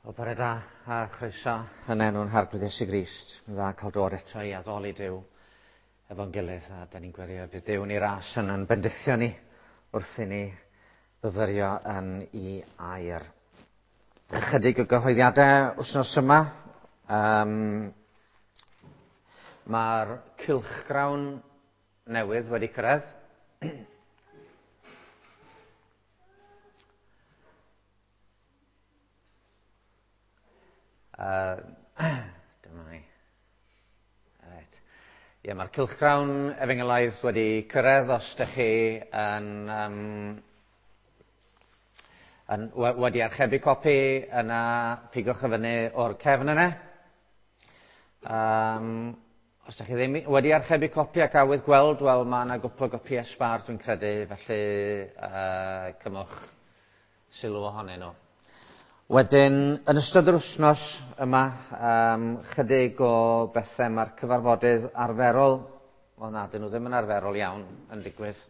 Wel, bore da a chroeso yn enw'n Harglwydd Iesu Grist. Mae'n dda cael dod eto i addoli Duw efo'n gilydd, a da ni'n gweddio bydd Duw yn ei ras yn yn bendithio ni wrth i ni fyfyrio yn ei air. Ychydig o gyhoeddiadau wythnos yma. Mae'r cylchgrawn newydd wedi cyrraedd. Dyma ni. Reit. Ie, mae'r cylchgrawn efengylaidd wedi cyrraedd os ydych chi yn, um, yn, wedi archebu copi, yna pigwch y fyny o'r cefn yna. Os ydych chi ddim wedi archebu copi ac awydd gweld, wel mae yna gwpl o gopïau sbâr dwi'n credu, felly cymwch sylw ohonyn nhw. Wedyn, yn ystod yr wythnos yma, chydig o bethau mae'r cyfarfodydd arferol, wel na, dyn nhw ddim yn arferol iawn yn digwydd.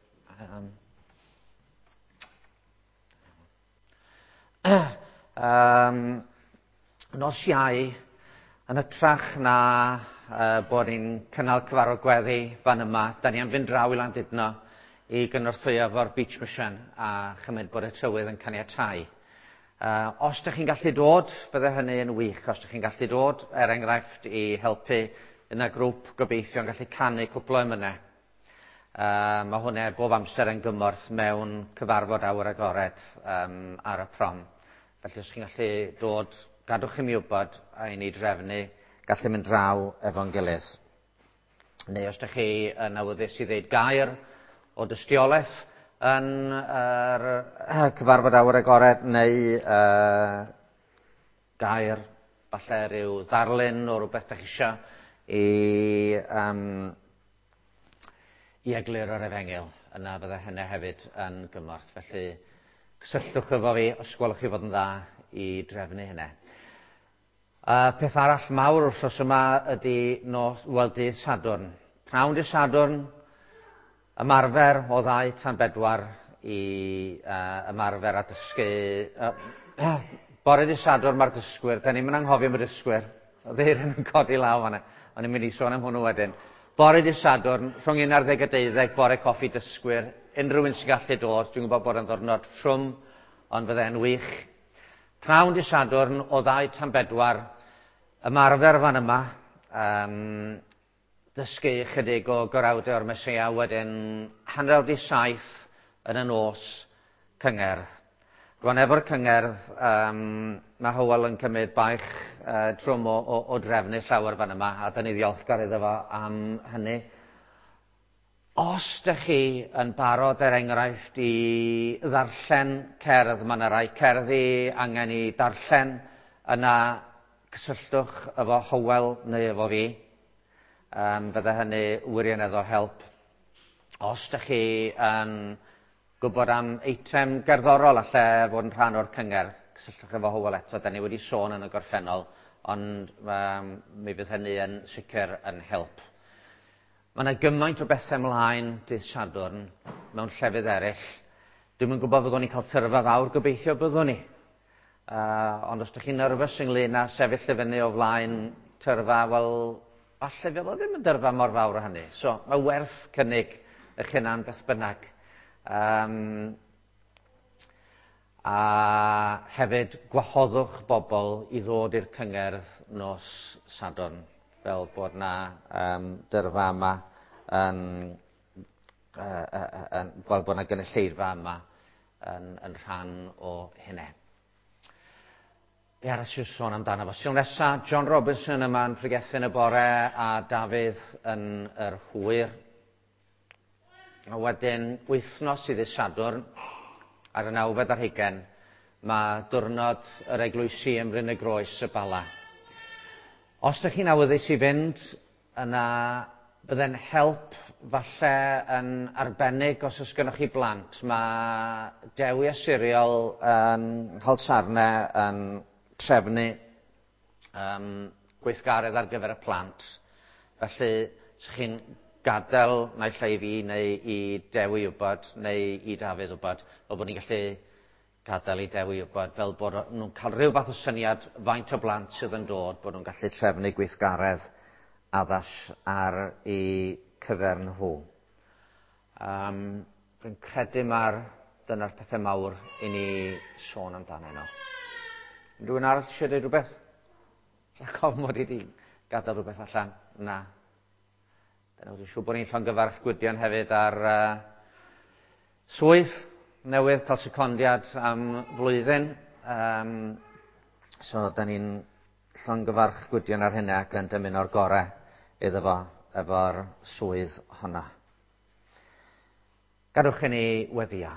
Nos Iau, yn hytrach na bod ni'n cynnal cyfarfod gweddi fan yma, da ni am fynd draw i Landudno i gynorthwyo efo'r Beach Mission a chymryd bod y tywydd yn caniatáu. Os ydych chi'n gallu dod, bydde hynny yn wych. Os ydych chi'n gallu dod, er enghraifft, i helpu yna grŵp gobeithio yn gallu canu cwpl o emynau. Mae hwnna bob amser yn gymorth mewn cyfarfod awyr agored ar y prom. Felly os chi'n gallu dod, gadwch i mi wybod a i ni drefnu gallu mynd draw efo'n gilydd. Neu os ydych chi yn awyddus i ddeud gair o dystiolaeth yn yr cyfarfod awyr agored neu gair, falle rhyw ddarlun o rywbeth dych chi isio i egluro'r efengyl, yna fydde hynny hefyd yn gymorth. Felly, cysylltwch efo fi os gwelwch chi fod yn dda i drefnu hynny. Peth arall mawr wrthnos yma ydy nos, wel, dydd Sadwrn. Pnawn dydd Sadwrn, ymarfer o 2 tan 4 i ymarfer a dysgu. Bore dydd Sadwrn mae'r dysgwyr, da ni'n mynd anghofio am y dysgwyr. Oedd Eirin yn codi law fan'na. O'n i'n mynd i sôn am hwnnw wedyn. Bore dydd Sadwrn, rhwng 11 a 12, bore coffi dysgwyr. Unrhyw un sy'n gallu dod, dwi'n gwybod bod yn ddwrnod trwm, ond fydde'n wych. Pnawn dydd Sadwrn o 2 tan 4, ymarfer fan yma, dysgu ychydig o gorawdau o'r Meseia, wedyn 6:30 yn y nos, cyngerdd. Rwan efo'r cyngerdd, mae Hywel yn cymryd baich trwm o drefnu llawer fan yma, a da ni ddiolchgar iddo fo am hynny. Os dych chi yn barod, er enghraifft, i ddarllen cerdd, mae yna rai cerddi angen i darllen, yna cysylltwch efo Hywel neu efo fi. Fydde hynny wirioneddol help. Os dych chi yn gwybod am eitem gerddorol alle fod yn rhan o'r cyngerdd, cysylltwch efo Hywel eto, da ni wedi sôn yn y gorffennol, ond mi fydd hynny yn sicr yn help. Mae yna gymaint o bethau ymlaen dydd Sadwrn mewn llefydd eraill. Dwi'm yn gwybod fyddwn ni'n cael tyrfa fawr, gobeithio byddwn ni. Ond os ydych chi'n nervous ynglyn â sefyll i fyny o flaen tyrfa, wel, falle fydd o ddim yn dyrfa mor fawr o hynny. So, mae werth cynnig eich hunan beth bynnag. A hefyd, gwahoddwch bobl i ddod i'r cyngerdd nos Sadwrn, fel bod na dyrfa yma yn, yn, fel bod na gynulleidfa yma yn rhan o hynny. Be arall sy'n sôn amdano fo? Sul nesa, John Robinson yma yn pregethu yn y bore a Dafydd yn yr hwyr. A wedyn, wythnos i ddydd Sadwrn, ar y 29, mae diwrnod yr eglwysi ym Mryn y Groes y Bala. Os ydych chi'n awyddus i fynd, yna bydde'n help falle yn arbennig os oes gennych chi blant. Mae Dewi a Siriol yn Nghalsarne yn trefnu gweithgaredd ar gyfer y plant. Felly, os chi'n gadael naill ai i fi neu i Dewi wybod, neu i Dafydd wybod, fel bod ni'n gallu gadael i Dewi wybod fel bod nhw'n cael rhyw fath o syniad faint o blant sydd yn dod, bod nhw'n gallu trefnu gweithgaredd addas ar eu cyfer nhw. Rwy'n credu mae'r dyna'r pethau mawr i ni sôn amdanyn nhw. Rhywun arall eisiau dweud rhywbeth? Rhaid ofn mod i wedi gadael rhywbeth allan? Na. Dyna dwi'n siŵr bod ni'n llongyfarch Gwydion hefyd ar swydd newydd, cael secondiad am flwyddyn. So, da ni'n llongyfarch Gwydion ar hynny ac yn dymuno'r gorau iddo fo efo'r swydd honna. Gadwch i ni weddio.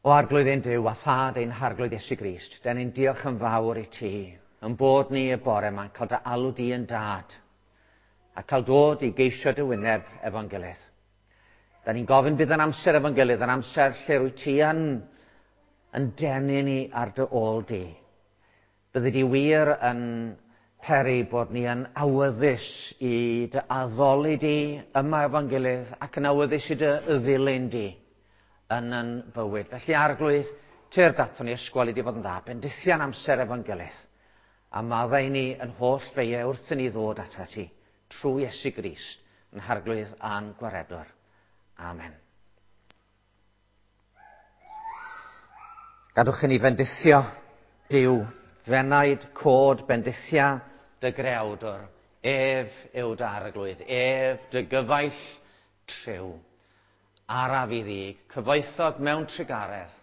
O Arglwydd ein Duw a Thad ein Harglwydd Iesu Grist, da ni'n diolch yn fawr i ti, yn bod ni y bore yma'n cael dy alw di yn dad, a cael dod i geisio dy wyneb efo'n gilydd. Da ni'n gofyn bydd yn amser efo'n gilydd, yn amser lle rwyt ti yn, yn denu ni ar dy ôl di. Byddi di wir yn peri bod ni yn awyddus i dy addoli di yma efo'n gilydd ac yn awyddus i dy ddilyn di yn yn bywyd. Felly Arglwydd, tyrd aton ni ysgwel i di fod yn dda, bendithian amser efo'n gilydd, a maddau ni yn holl feiau wrth i ni ddod atat ti, trwy Iesu Grist, yn Harglwydd a'n Gwaredwr. Amen. Gadwch i ni fendithio Duw, fenaid cod bendithia dy greawdwr, ef yw dy arglwydd, ef dy gyfaill triw. Araf i ddig, cyfoethog mewn trugaredd,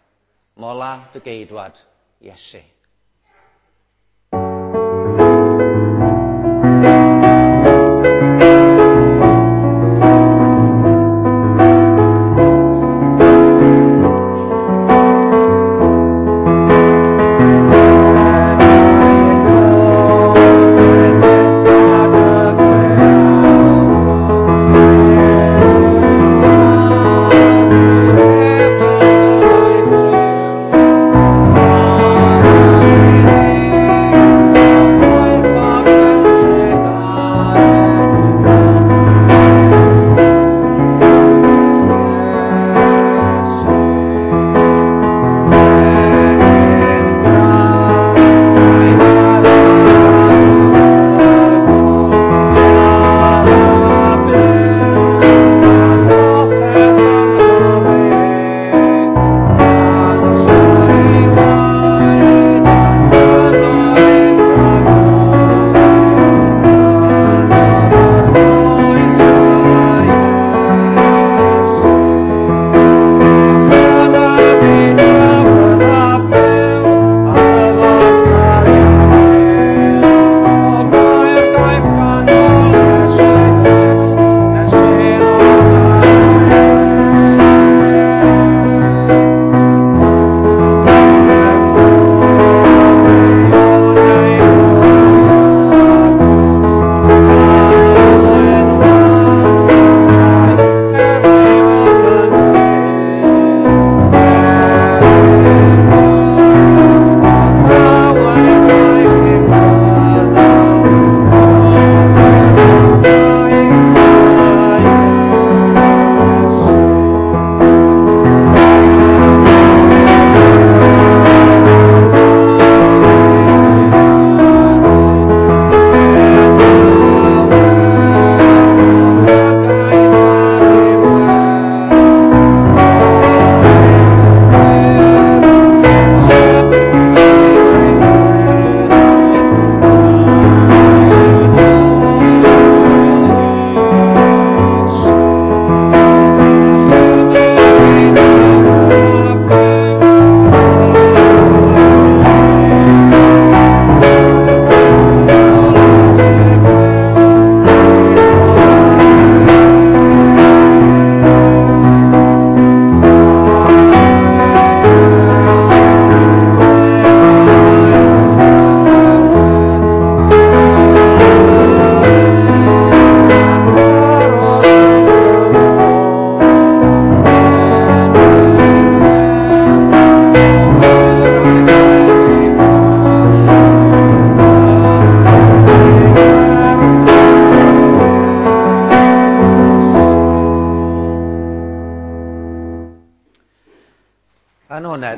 mola dy geidwad, Iesu.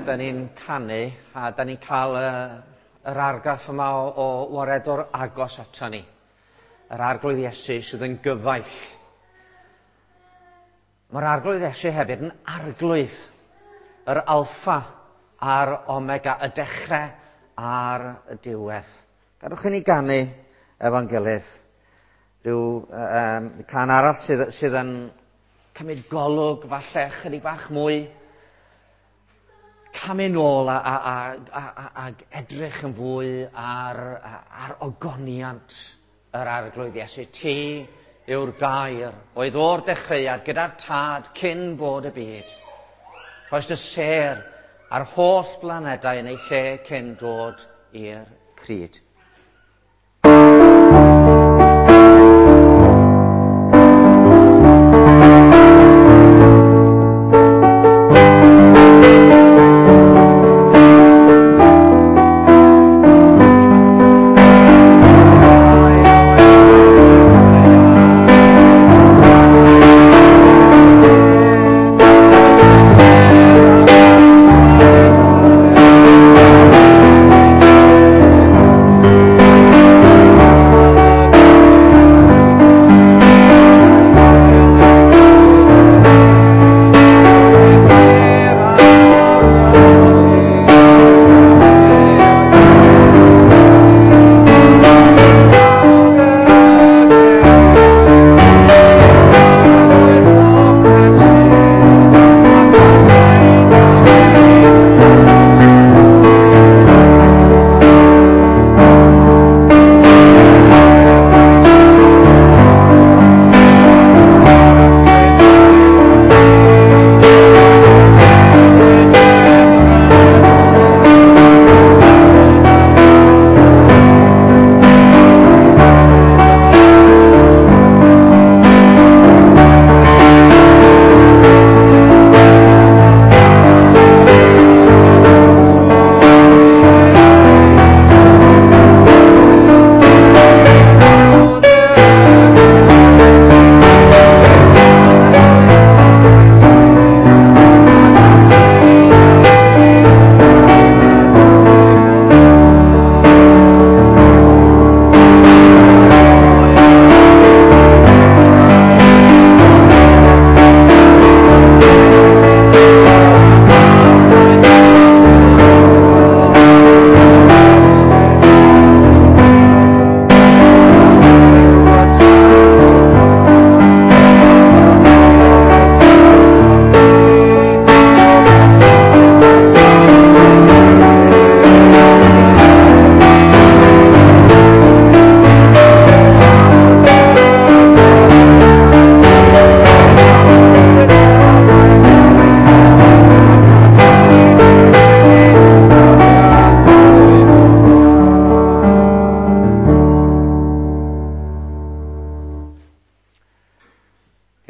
Da ni'n canu a da ni'n cael yr argraff yma o waredwr agos ato ni. Yr Arglwydd Iesu sydd yn gyfaill. Mae'r Arglwydd Iesu hefyd yn arglwydd. Yr alffa a'r omega, y dechrau a'r diwedd. Gadwch i ni ganu efo'n gilydd. Rhyw can arall sydd yn cymryd golwg falle chydig bach mwy. Camu nôl a edrych yn fwy ar ogoniant yr Arglwydd Iesu. Ti yw'r gair oedd o'r dechreuad gyda'r Tad cyn bod y byd. Rhoes y sêr a'r holl blanedau yn ei lle cyn dod i'r cryd.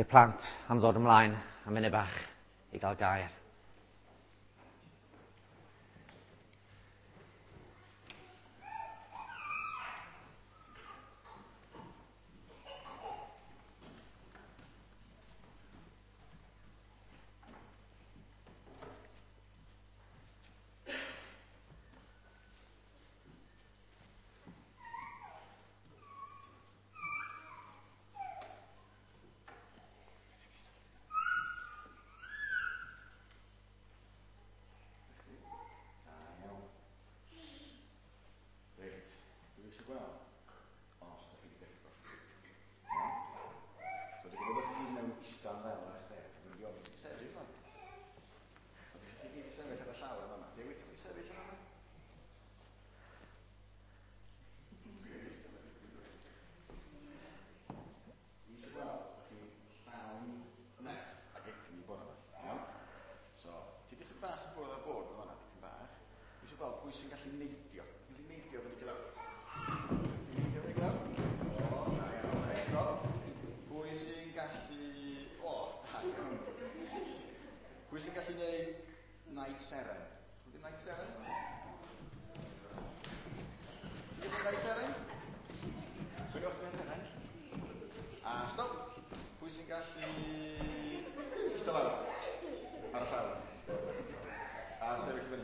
Plant am ddod ymlaen am munud bach i gael gair. Pwy sy'n gallu neidio? Gallu neidio fyny glawr? Ti'n neidio fyny glawr? O, da iawn, reit. Pwy sy'n gallu... O, da iawn. Pwy sy'n gallu neud naid seren? Pwy sy'n naid seren? Ti'n gallu naid seren? Swnio'ch naid seren? A stop. Pwy sy'n gallu... Eistedd lawr? Ar y llawr. A sefyll fyny.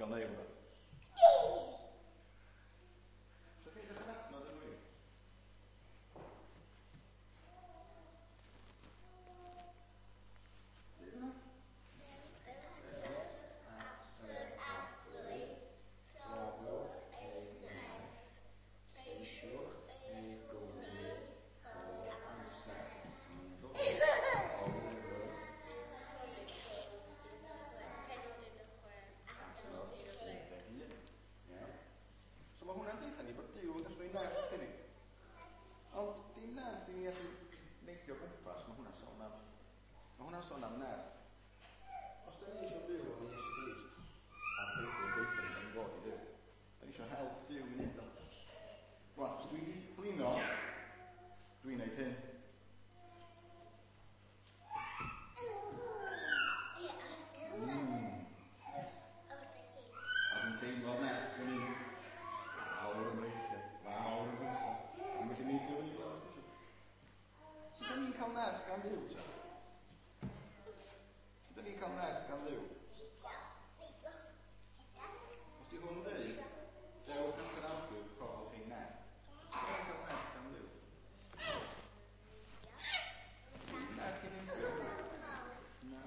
gael neud rhywbeth. So chi eich adnod yn wir? So mae hwnna'n deutha ni bod Duw yn gallu rhoi nerth i ni. Ond dim nerth i ni allu neidio gwmpas, mae hwnna'n sôn am. Mae hwnna'n sôn am nerth. Os da ni eisiau byw efo Iesu Grist, a'r Beibl yn deutha ni, da ni'n fod i fyw. Da ni eisiau help Duw i wneud o. Rwan, os dwi wedi blino, dwi'n neud hyn. A dwi'n teimlo nerth yn mynd lawr yn mreichiau, lawr yn fwysa. Dwi'n gallu neidio fyny lawr. Sut da ni'n cael nerth gan Dduw, ta? Sut da ni'n cael nerth gan Dduw? Os di hwn dweud, dewch at yr Arglwydd, rhoddwch ein nerth. Sut da ni'n cael nerth gan Dduw? Nerth i neidio. Na.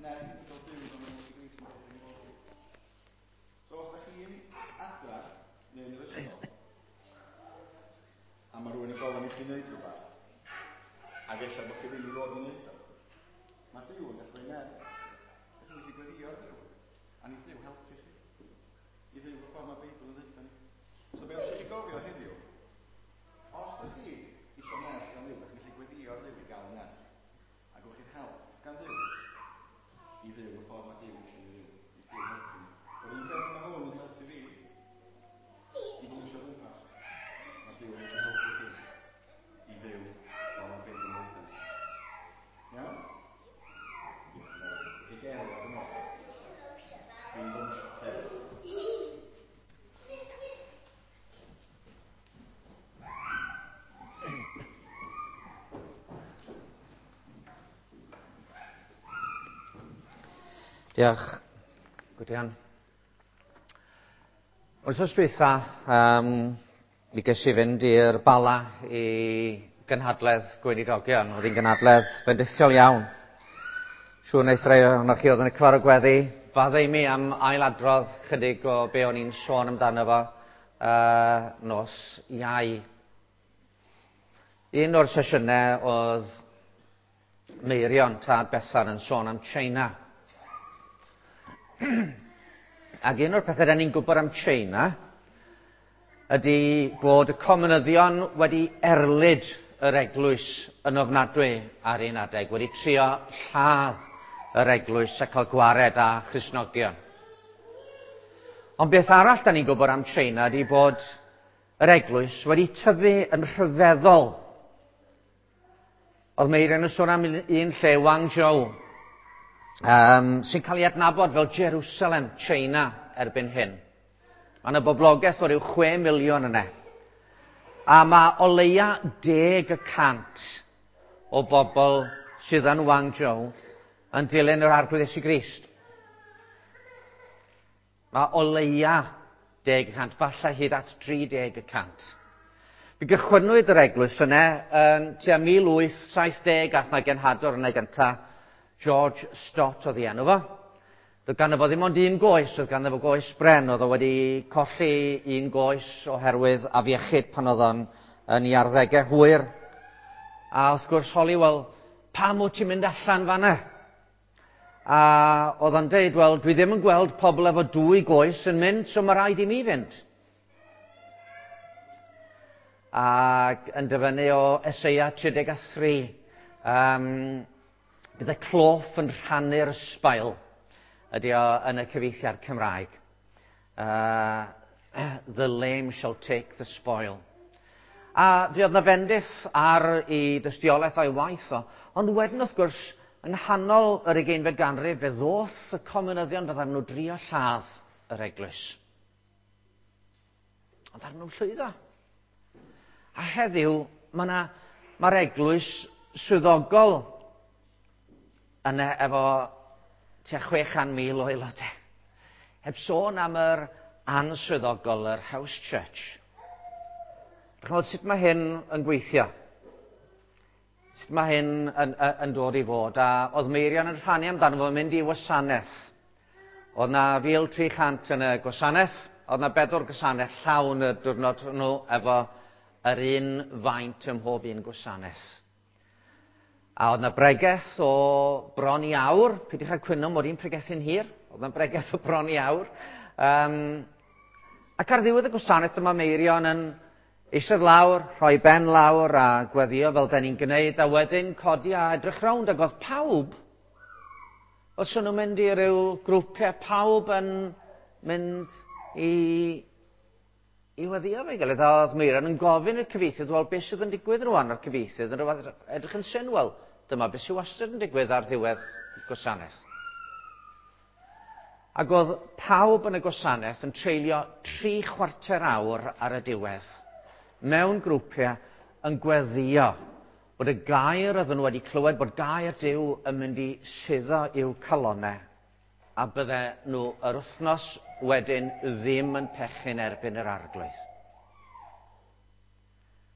Nerth i gael byw fel mae Iesu Grist yn dod i fod. So os da chi'n adra neu yn yr ysgol, a mae rhywun yn gofyn i chi wneud rhywbeth, ac ella bod chi ddim i fod i wneud o, mae Duw yn gallu rhoi nerth. Ydych chi'n gallu gweddio ar Dduw, a ni Dduw helpu chi i fyw y ffordd mae Beibl yn dweud ni. So be os chi gofio heddiw, os da chi eisiau nerth gan Dduw, da chi'n gallu gweddio ar Dduw i gael nerth. A gewch chi'r help gan Dduw i fyw y ffordd mae Duw eisiau ni fyw. I Duw helpu ni. Yr un peth mae hwn yn helpu fi i bwysio gwmpas. Mae Duw yn gallu helpu chi i fyw fel mae Beibl yn dweud ni. Iawn? Diolch yn fawr. Chi gerdded yn ôl. Dwi'n bwysio hefyd. Diolch, Gwydion. Wythnos dwytha, mi ges i fynd i'r Bala i gynhadledd gweinidogion. Oedd hi'n gynhadledd fendithiol iawn. Siŵr wnaeth rai ohonoch chi oedd yn y cyfarfod gweddi faddau i mi am ailadrodd chydig o be o'n i'n sôn amdano fo nos Iau. Un o'r sesiynau oedd Meirion, tad Bethan, yn sôn am China. Ac un o'r pethau da ni'n gwybod am China ydy bod y comunyddion wedi erlid yr eglwys yn ofnadwy ar un adeg, wedi trio lladd yr eglwys a cael gwared â Christnogion. Ond beth arall da ni'n gwybod am China ydy bod yr eglwys wedi tyfu yn rhyfeddol. Oedd Meirion yn sôn am un lle, Guangzhou, sy'n cael ei adnabod fel Jerusalem, China, erbyn hyn. Mae yna boblogaeth o ryw 6 miliwn yna. A mae o leia 10% o bobl sydd yn Guangzhou yn dilyn yr Arglwydd Iesu Grist. Mae o leia 10%, falle hyd at 30%. Fe gychwynnwyd yr eglwys yna yn tua 1870 ath na genhadwr yna gynta, George Stott oedd ei enw fo. Doedd ganddo fo ddim ond un goes, oedd ganddo fo goes bren, oedd o wedi colli un goes oherwydd afiechyd pan oedd o'n yn ei arddegau hwyr. A wrth gwrs holi, wel, pam wyt ti'n mynd allan fanna? A oedd o'n deud, wel, dwi ddim yn gweld pobl efo dwy goes yn mynd, so mae rhaid i mi fynd. Ac yn dyfynnu o Eseia 33, bydd y cloff yn rhannu'r ysbail, ydy o yn y cyfieithiad Cymraeg. The lame shall take the spoil. A fe oedd na fendith ar ei dystiolaeth a'i waith o, ond wedyn wrth gwrs, yng nghanol yr ugeinfed ganrif, fe ddoth y comunyddion fyddan nhw drio lladd yr eglwys. Ond ar nhw'n llwyddo. A heddiw, mae'r eglwys swyddogol yna efo tua 600,000 o aelodau. Heb sôn am yr answyddogol, yr house church. Chymod, sut mae hyn yn gweithio? Sut mae hyn yn dod i fod? A oedd Meirion yn rhannu amdano fo mynd i wasanaeth. Oedd na 1,300 yn y gwasanaeth, oedd na 4 gwasanaeth llawn y diwrnod hwnnw efo yr un faint ym mhob un gwasanaeth. A oedd na bregeth o bron i awr, peidiwch â cwyno mod i'n pregethu'n hir, oedd na bregeth o bron i awr. Ac ar ddiwedd y gwasanaeth dyma Meirion yn eistedd lawr, rhoi ben lawr a gweddio fel da ni'n gwneud, a wedyn codi a edrych rownd, ac oedd pawb, os o'n nhw'n mynd i ryw grwpiau, pawb yn mynd i weddio efo'i gilydd, a oedd Meirion yn gofyn i'r cyfieithydd, wel, beth sydd yn digwydd rwan? A'r cyfieithydd yn rhywbeth edrych yn syn, wel, dyma beth sydd wastad yn digwydd ar ddiwedd gwasanaeth. Ac oedd pawb yn y gwasanaeth yn treulio 3/4 awr ar y diwedd, mewn grwpiau, yn gweddio bod y gair oedden nhw wedi clywed, bod gair Duw yn mynd i suddo i'w calonnau, a bydde nhw yr wythnos wedyn ddim yn pechu'n erbyn yr Arglwydd.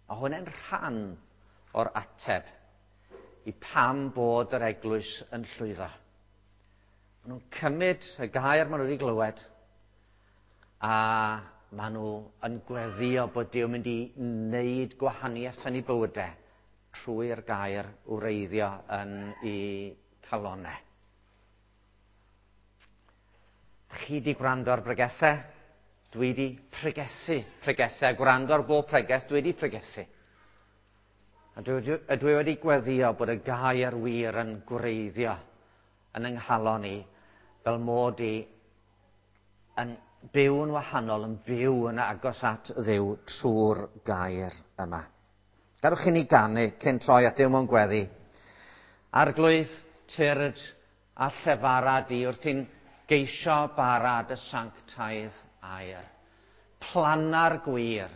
A hwnna'n rhan o'r ateb i pam bod yr eglwys yn llwyddo. Maen nhw'n cymryd y gair maen nhw wedi glywed, a maen nhw yn gweddio bod Duw yn mynd i wneud gwahaniaeth yn eu bywydau trwy'r gair wreiddio yn eu calonnau. Chi di gwrando ar bregethau, dwi di pregethu pregethau, a gwrando ar bob pregeth, dwi di pregethu. A dwi wedi gweddio bod y gair wir yn gwreiddio yn yng nghalon i, fel mod i yn byw yn wahanol, yn byw yn agos at Dduw trwy'r gair yma. Gadewch i ni ganu cyn troi at Dduw mewn gweddi. Arglwydd, tyrd a llefara di wrth i'n geisio bara dy sanctaidd air. Planna'r gwir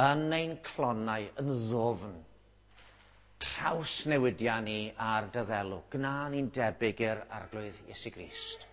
yn ein clonau yn ddwfn. Trawsnewidia ni ar dy ddelw. Gwna ni'n debyg i'r Arglwydd Iesu Grist.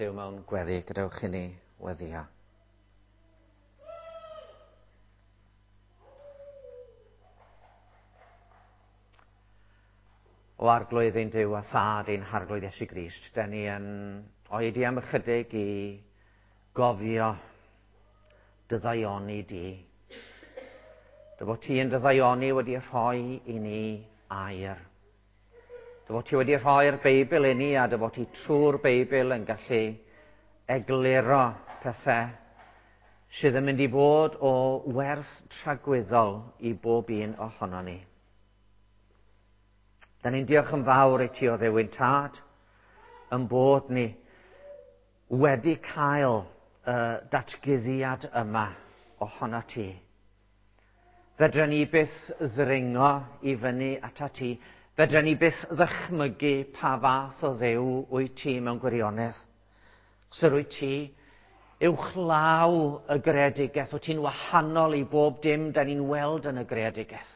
Duw mewn gweddi, gadewch i ni weddio. O Arglwydd ein Duw a Thad ein Harglwydd Iesu Grist, da ni yn oedi am ychydig i gofio dy ddaioni di. Dy fod ti yn dy ddaioni wedi rhoi i ni air. Dy fod ti wedi rhoi'r Beibl i ni a dy fod ti trwy'r Beibl yn gallu egluro pethau sydd yn mynd i fod o werth tragwyddol i bob un ohono ni. Da ni'n diolch yn fawr i ti o Dduw ein Tad, yn bod ni wedi cael y datguddiad yma ohono ti. Fedra ni byth ddringo i fyny ata ti. Fedra ni byth ddychmygu pa fath o Dduw wyt ti mewn gwirionedd. Syr wyt ti uwchlaw y greadigaeth, wyt ti'n wahanol i bob dim da ni'n weld yn y greadigaeth.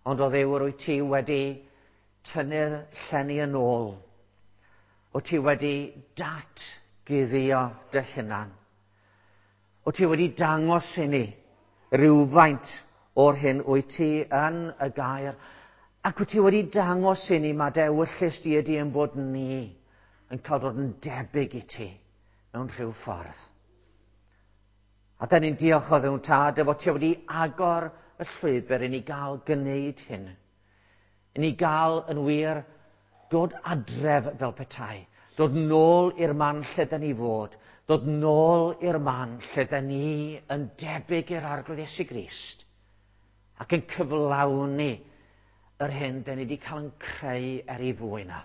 Ond o Dduw, yr wyt ti wedi tynnu'r llenni yn ôl. Wyt ti wedi datguddio dy hunan. Wyt ti wedi dangos i ni rywfaint o'r hyn wyt ti yn y gair. Ac wyt ti wedi dangos i ni mae dy ewyllys di ydy yn bod ni yn cael dod yn debyg i ti mewn rhyw ffordd. A da ni'n diolch o Dduw Tad dy fod ti wedi agor y llwybr i ni gael gwneud hyn. I ni gael yn wir dod adref fel petai. Dod nôl i'r man lle da ni fod. Dod nôl i'r man lle da ni yn debyg i'r Arglwydd Iesu Grist. Ac yn cyflawni yr hyn da ni wedi cael yn creu er ei fwyn o.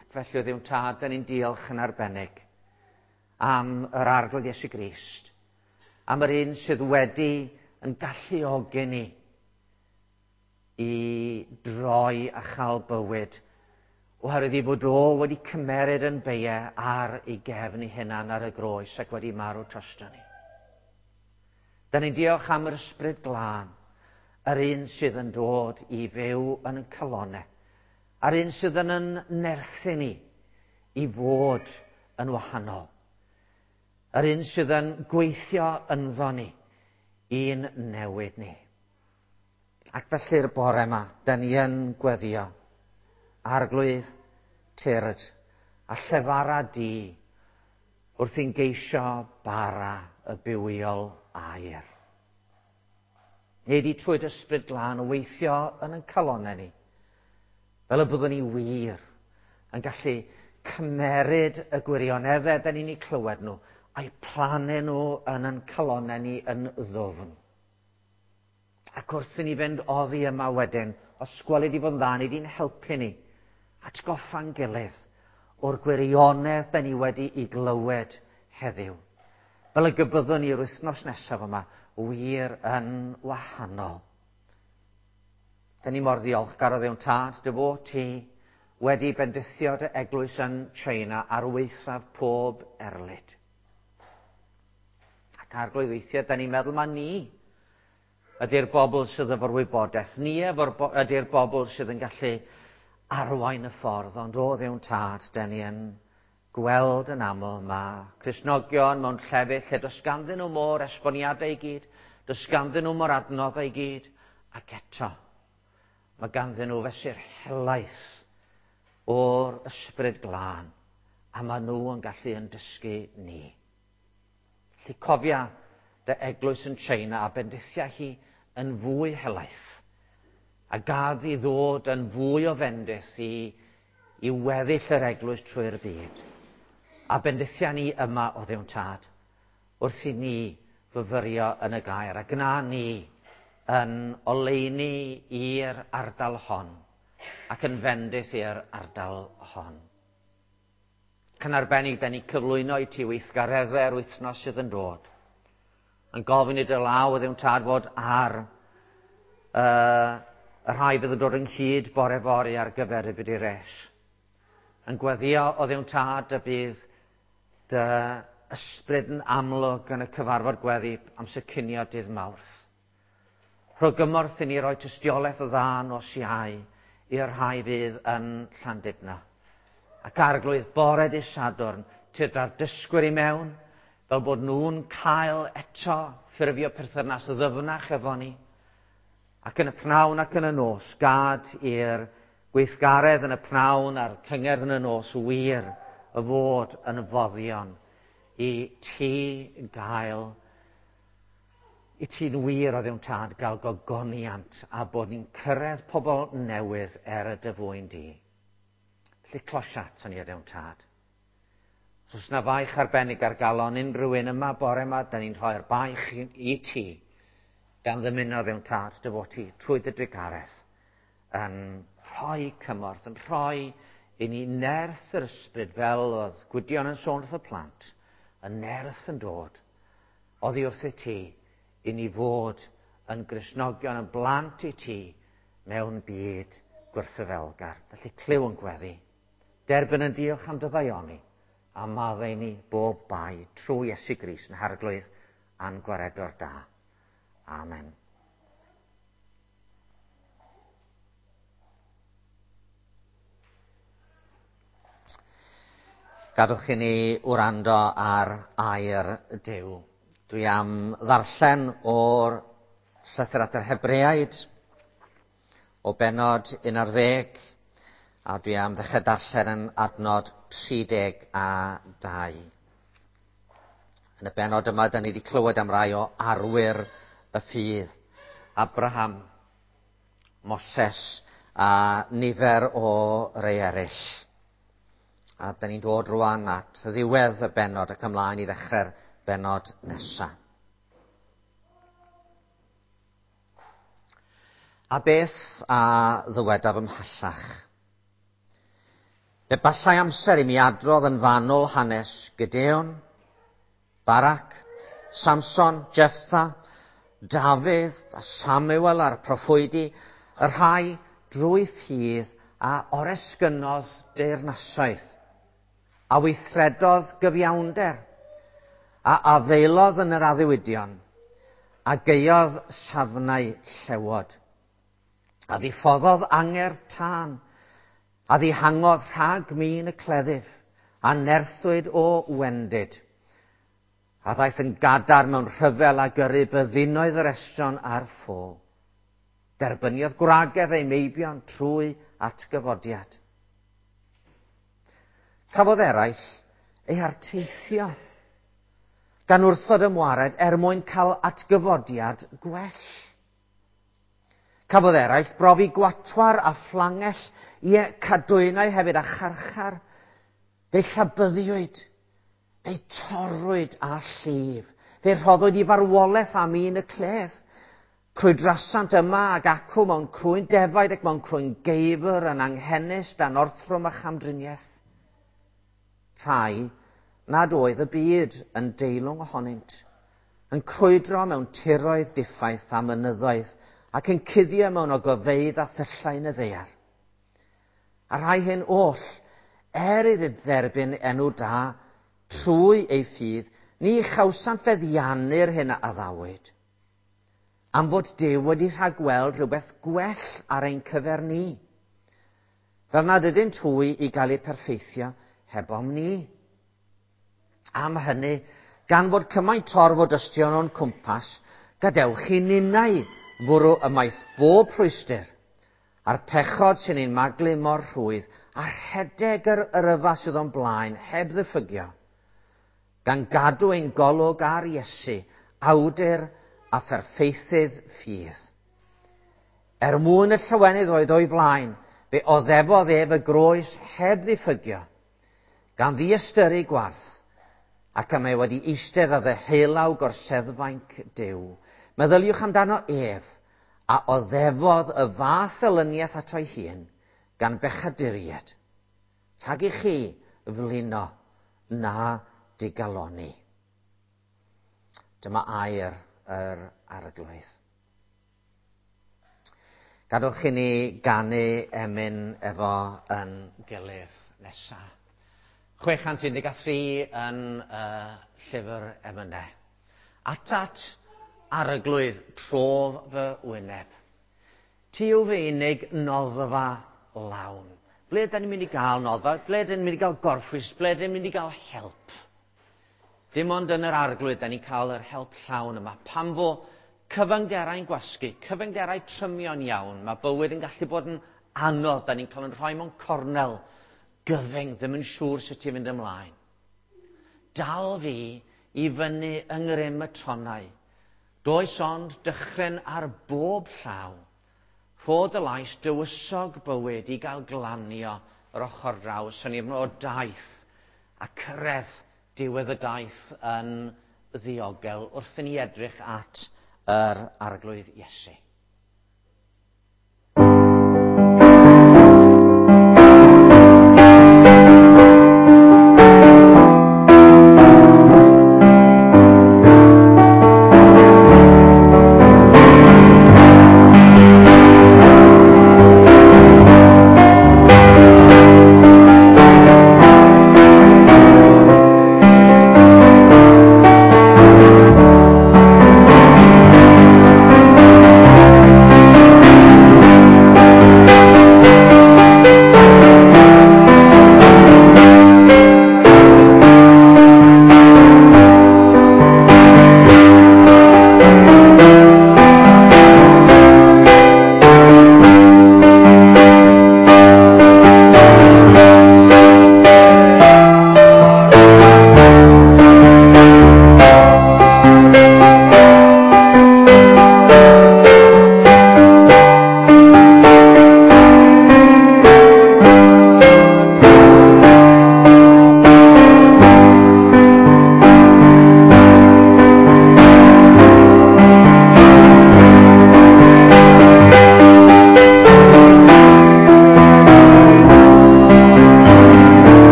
Ac felly o Dduw Tad, da ni'n diolch yn arbennig am yr Arglwydd Iesu Grist, am yr un sydd wedi yn galluogi ni i droi a chael bywyd, oherwydd ei fod o wedi cymeryd yn beiau ar ei gefn ei hunan ar y groes ac wedi marw drosto ni. Da ni'n diolch am yr Ysbryd Glân, yr un sydd yn dod i fyw yn y calonau, a'r un sydd yn yn nerthu ni i fod yn wahanol. Yr un sydd yn gweithio ynddo ni i'n newid ni. Ac felly'r bore yma, da ni yn gweddio. Arglwydd, tyrd, a llefara di wrth i'n geisio bara y bywiol air. Neu di trwy dy Ysbryd Glân o weithio yn ein calonnau ni, fel y byddwn ni wir yn gallu cymeryd y gwirioneddau da ni'n eu clywed nhw, a'u plannu nhw yn ein calonnau ni yn ddwfn. Ac wrth i ni fynd oddi yma wedyn, os gweli di fod yn dda, ni di'n helpu ni atgoffa'n gilydd o'r gwirionedd da ni wedi i glywed heddiw. Fel y gybyddwn ni'r wythnos nesaf yma, wir yn wahanol. Da ni mor ddiolchgar o Dduw Tad, dy fod ti wedi bendithio dy eglwys yn China ar waethaf pob erlid. Ac Arglwydd, weithiau, da ni'n meddwl ma ni ydy'r bobl sydd efo'r wybodaeth. Ni ydy'r bobl sydd yn gallu arwain y ffordd, ond o Dduw Tad, da ni yn gweld yn aml ma Cristnogion mewn llefydd lle does ganddyn nhw mo'r esboniadau i gyd, does ganddyn nhw mo'r adnoddau i gyd, ac eto mae ganddyn nhw fesur helaeth o'r Ysbryd Glân, a maen nhw yn gallu yn dysgu ni. Felly cofia dy eglwys yn China a bendithia hi yn fwy helaeth, a gad i ddod yn fwy o fendith i weddill yr eglwys trwy'r byd. A bendithia ni yma o Dduw Tad, wrth i ni fyfyrio yn y gair, a gna ni yn oleuni i'r ardal hon, ac yn fendith i'r ardal hon. Yn arbennig, da ni cyflwyno i ti weithgareddau'r wythnos sydd yn dod. Yn gofyn i dy law o Dduw Tad fod ar y rhai fydd yn dod ynghyd bore fory ar gyfer y byd i res. Yn gweddio o Dduw Tad y bydd dy ysbryd yn amlwg yn y cyfarfod gweddi amser cinio dydd Mawrth. Rho gymorth i ni roi tystiolaeth o dda nos Iau i'r rhai fydd yn Llandudno. Ac Arglwydd, bore dy Sadwrn, tyrd â'r dysgwyr i mewn, fel bod nhw'n cael eto ffurfio perthynas ddyfnach efo ni. Ac yn y pnawn ac yn y nos, gad i'r gweithgaredd yn y pnawn a'r cyngerdd yn y nos wir y fod yn foddion i ti gael, i ti'n wir o Dduw'n Tad gael gogoniant a bod ni'n cyrraedd pobl newydd er y dy fwyn di. Felly closia aton ni o Dduw'n Tad. Os oes 'na faich arbennig ar galon unrhyw un yma bore yma, da ni'n rhoi'r baich i ti, gan ddymuno Dduw'n Tad dy fod ti trwy dy drugaredd yn rhoi cymorth, yn rhoi i ni nerth yr ysbryd fel oedd Gwydion yn sôn wrth y plant, y nerth yn dod oddi wrth i ti i ni fod yn Gristnogion, yn blant i ti mewn byd gwrthyfelgar. Felly clyw yn gweddi. Derbyn yn diolch am dy ddaioni a maddau ni bob bai trwy Iesu Grist yn Harglwydd a'n Gwaredwr da. Amen. Gadwch i ni wrando ar air Duw. Dwi am ddarllen o'r llythyr at yr Hebreaid o bennod 11, a dwi am ddechrau darllen yn adnod 32. Yn y bennod yma, da ni wedi clywed am rai o arwyr y ffydd. Abraham, Moses a nifer o rei eraill. A da ni'n dod rwan at ddiwedd y bennod ac ymlaen i ddechrau'r bennod nesaf. A beth a ddywedaf ymhellach? Fe basai amser i mi adrodd yn fanwl hanes Gideon, Barak, Samson, Jephtha, Dafydd a Samuel a'r proffwydi, y rhai drwy ffydd a oresgynnodd deyrnasoedd, a weithredodd gyfiawnder, a afaelodd yn yr addewidion, a gaeodd safnau llewod, a ddiffoddodd angerdd tân, a ddihangodd rhag min y cleddyf, a nerthwyd o wendid, a ddaeth yn gadarn mewn rhyfel a gyrru byddinoedd yr estron a'r ffo. Derbyniodd gwragedd ei meibion trwy atgyfodiad. Cafodd eraill eu harteithio gan wrthod ymwared er mwyn cael atgyfodiad gwell. Cafodd eraill brofi gwatwar a phlangell, ie, cadwynau hefyd a charchar. Fe llabyddiwyd, fe torrwyd â llif, fe rhoddwyd i farwolaeth am un y cledd. Crwydrasant yma ac acw mewn crwyn defaid ac mewn crwyn geifr yn anghenus dan orthrwm a chamdriniaeth. Rhai nad oedd y byd yn deilwng ohonynt, yn crwydro mewn tiroedd diffaith a mynyddoedd ac yn cuddio mewn ogofeydd a thyllau yn y ddaear. A rhai hyn oll, er iddynt dderbyn enw da trwy ei ffydd, ni chawsant feddiannu'r hyn a addawyd, am fod Duw wedi rhagweld rhywbeth gwell ar ein cyfer ni, fel nad ydynt hwy i gael eu perffeithio hebom ni. Am hynny, gan fod cymaint torf o dystion o'n cwmpas, gadewch i ninnau fwrw ymaith bob rhwystr, a'r pechod sy'n ein maglu mor rhwydd, a rhedeg yr yrfa sydd o'n blaen heb ddiffygio, gan gadw ein golwg ar Iesu, awdur a pherffeithydd ffydd. Er mwyn y llawenydd oedd o'i flaen, fe oddefodd ef y groes heb ddiffygio, gan ddiystyru gwarth, ac y mae wedi eistedd ar ddeheulaw gorseddfainc Duw. Meddyliwch amdano ef, a oddefodd y fath elyniaeth ato'i hun, gan bechaduriaid, rhag i chi flino na digalonni. Dyma air yr Arglwydd. Gadwch i ni ganu emyn efo yn gilydd nesa. 613 yn llyfr emynau. Atat, Arglwydd, trof fy wyneb. Ti yw fy unig noddfa lawn. Ble da ni'n mynd i gael noddfa? Ble da ni'n mynd i gael gorffwys? Ble da ni'n mynd i gael help? Dim ond yn yr Arglwydd da ni'n cael yr help llawn yma. Pan fo cyfyngderau'n gwasgu, cyfyngderau trymion iawn, mae bywyd yn gallu bod yn anodd, da ni'n cael yn rhoi mewn cornel gyfyng, ddim yn siŵr sut i fynd ymlaen. Dal fi i fyny yng ngrym y tonnau. Does ond dychryn ar bob llaw. Rho dy lais dywysog bywyd i gael glanio yr ochr draw, syniad o daith a cyrraedd diwedd y daith yn ddiogel wrth i ni edrych at yr Arglwydd Iesu.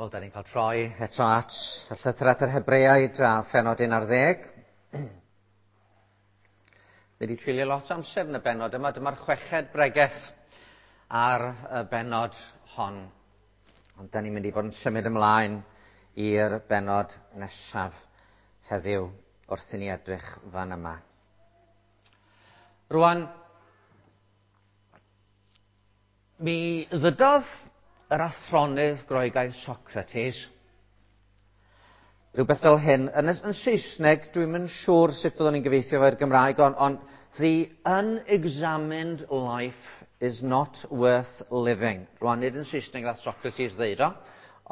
Wel, da ni'n cael troi eto at y llythyr at yr Hebreaid a phennod 11. Ni wedi treulio lot o amser yn y bennod yma. Dyma'r chweched bregeth ar y bennod hon. Ond da ni'n mynd i fod yn symud ymlaen i'r bennod nesaf heddiw wrth i ni edrych fan yma. Rwan, mi ddydodd yr athronydd Groegaidd Socrates rhywbeth fel hyn. Yn Saesneg, dwi'm yn siŵr sut fyddwn ni'n gyfieithio fo'r Gymraeg, ond the unexamined life is not worth living. Rwan, nid yn Saesneg nath Socrates ddeud o,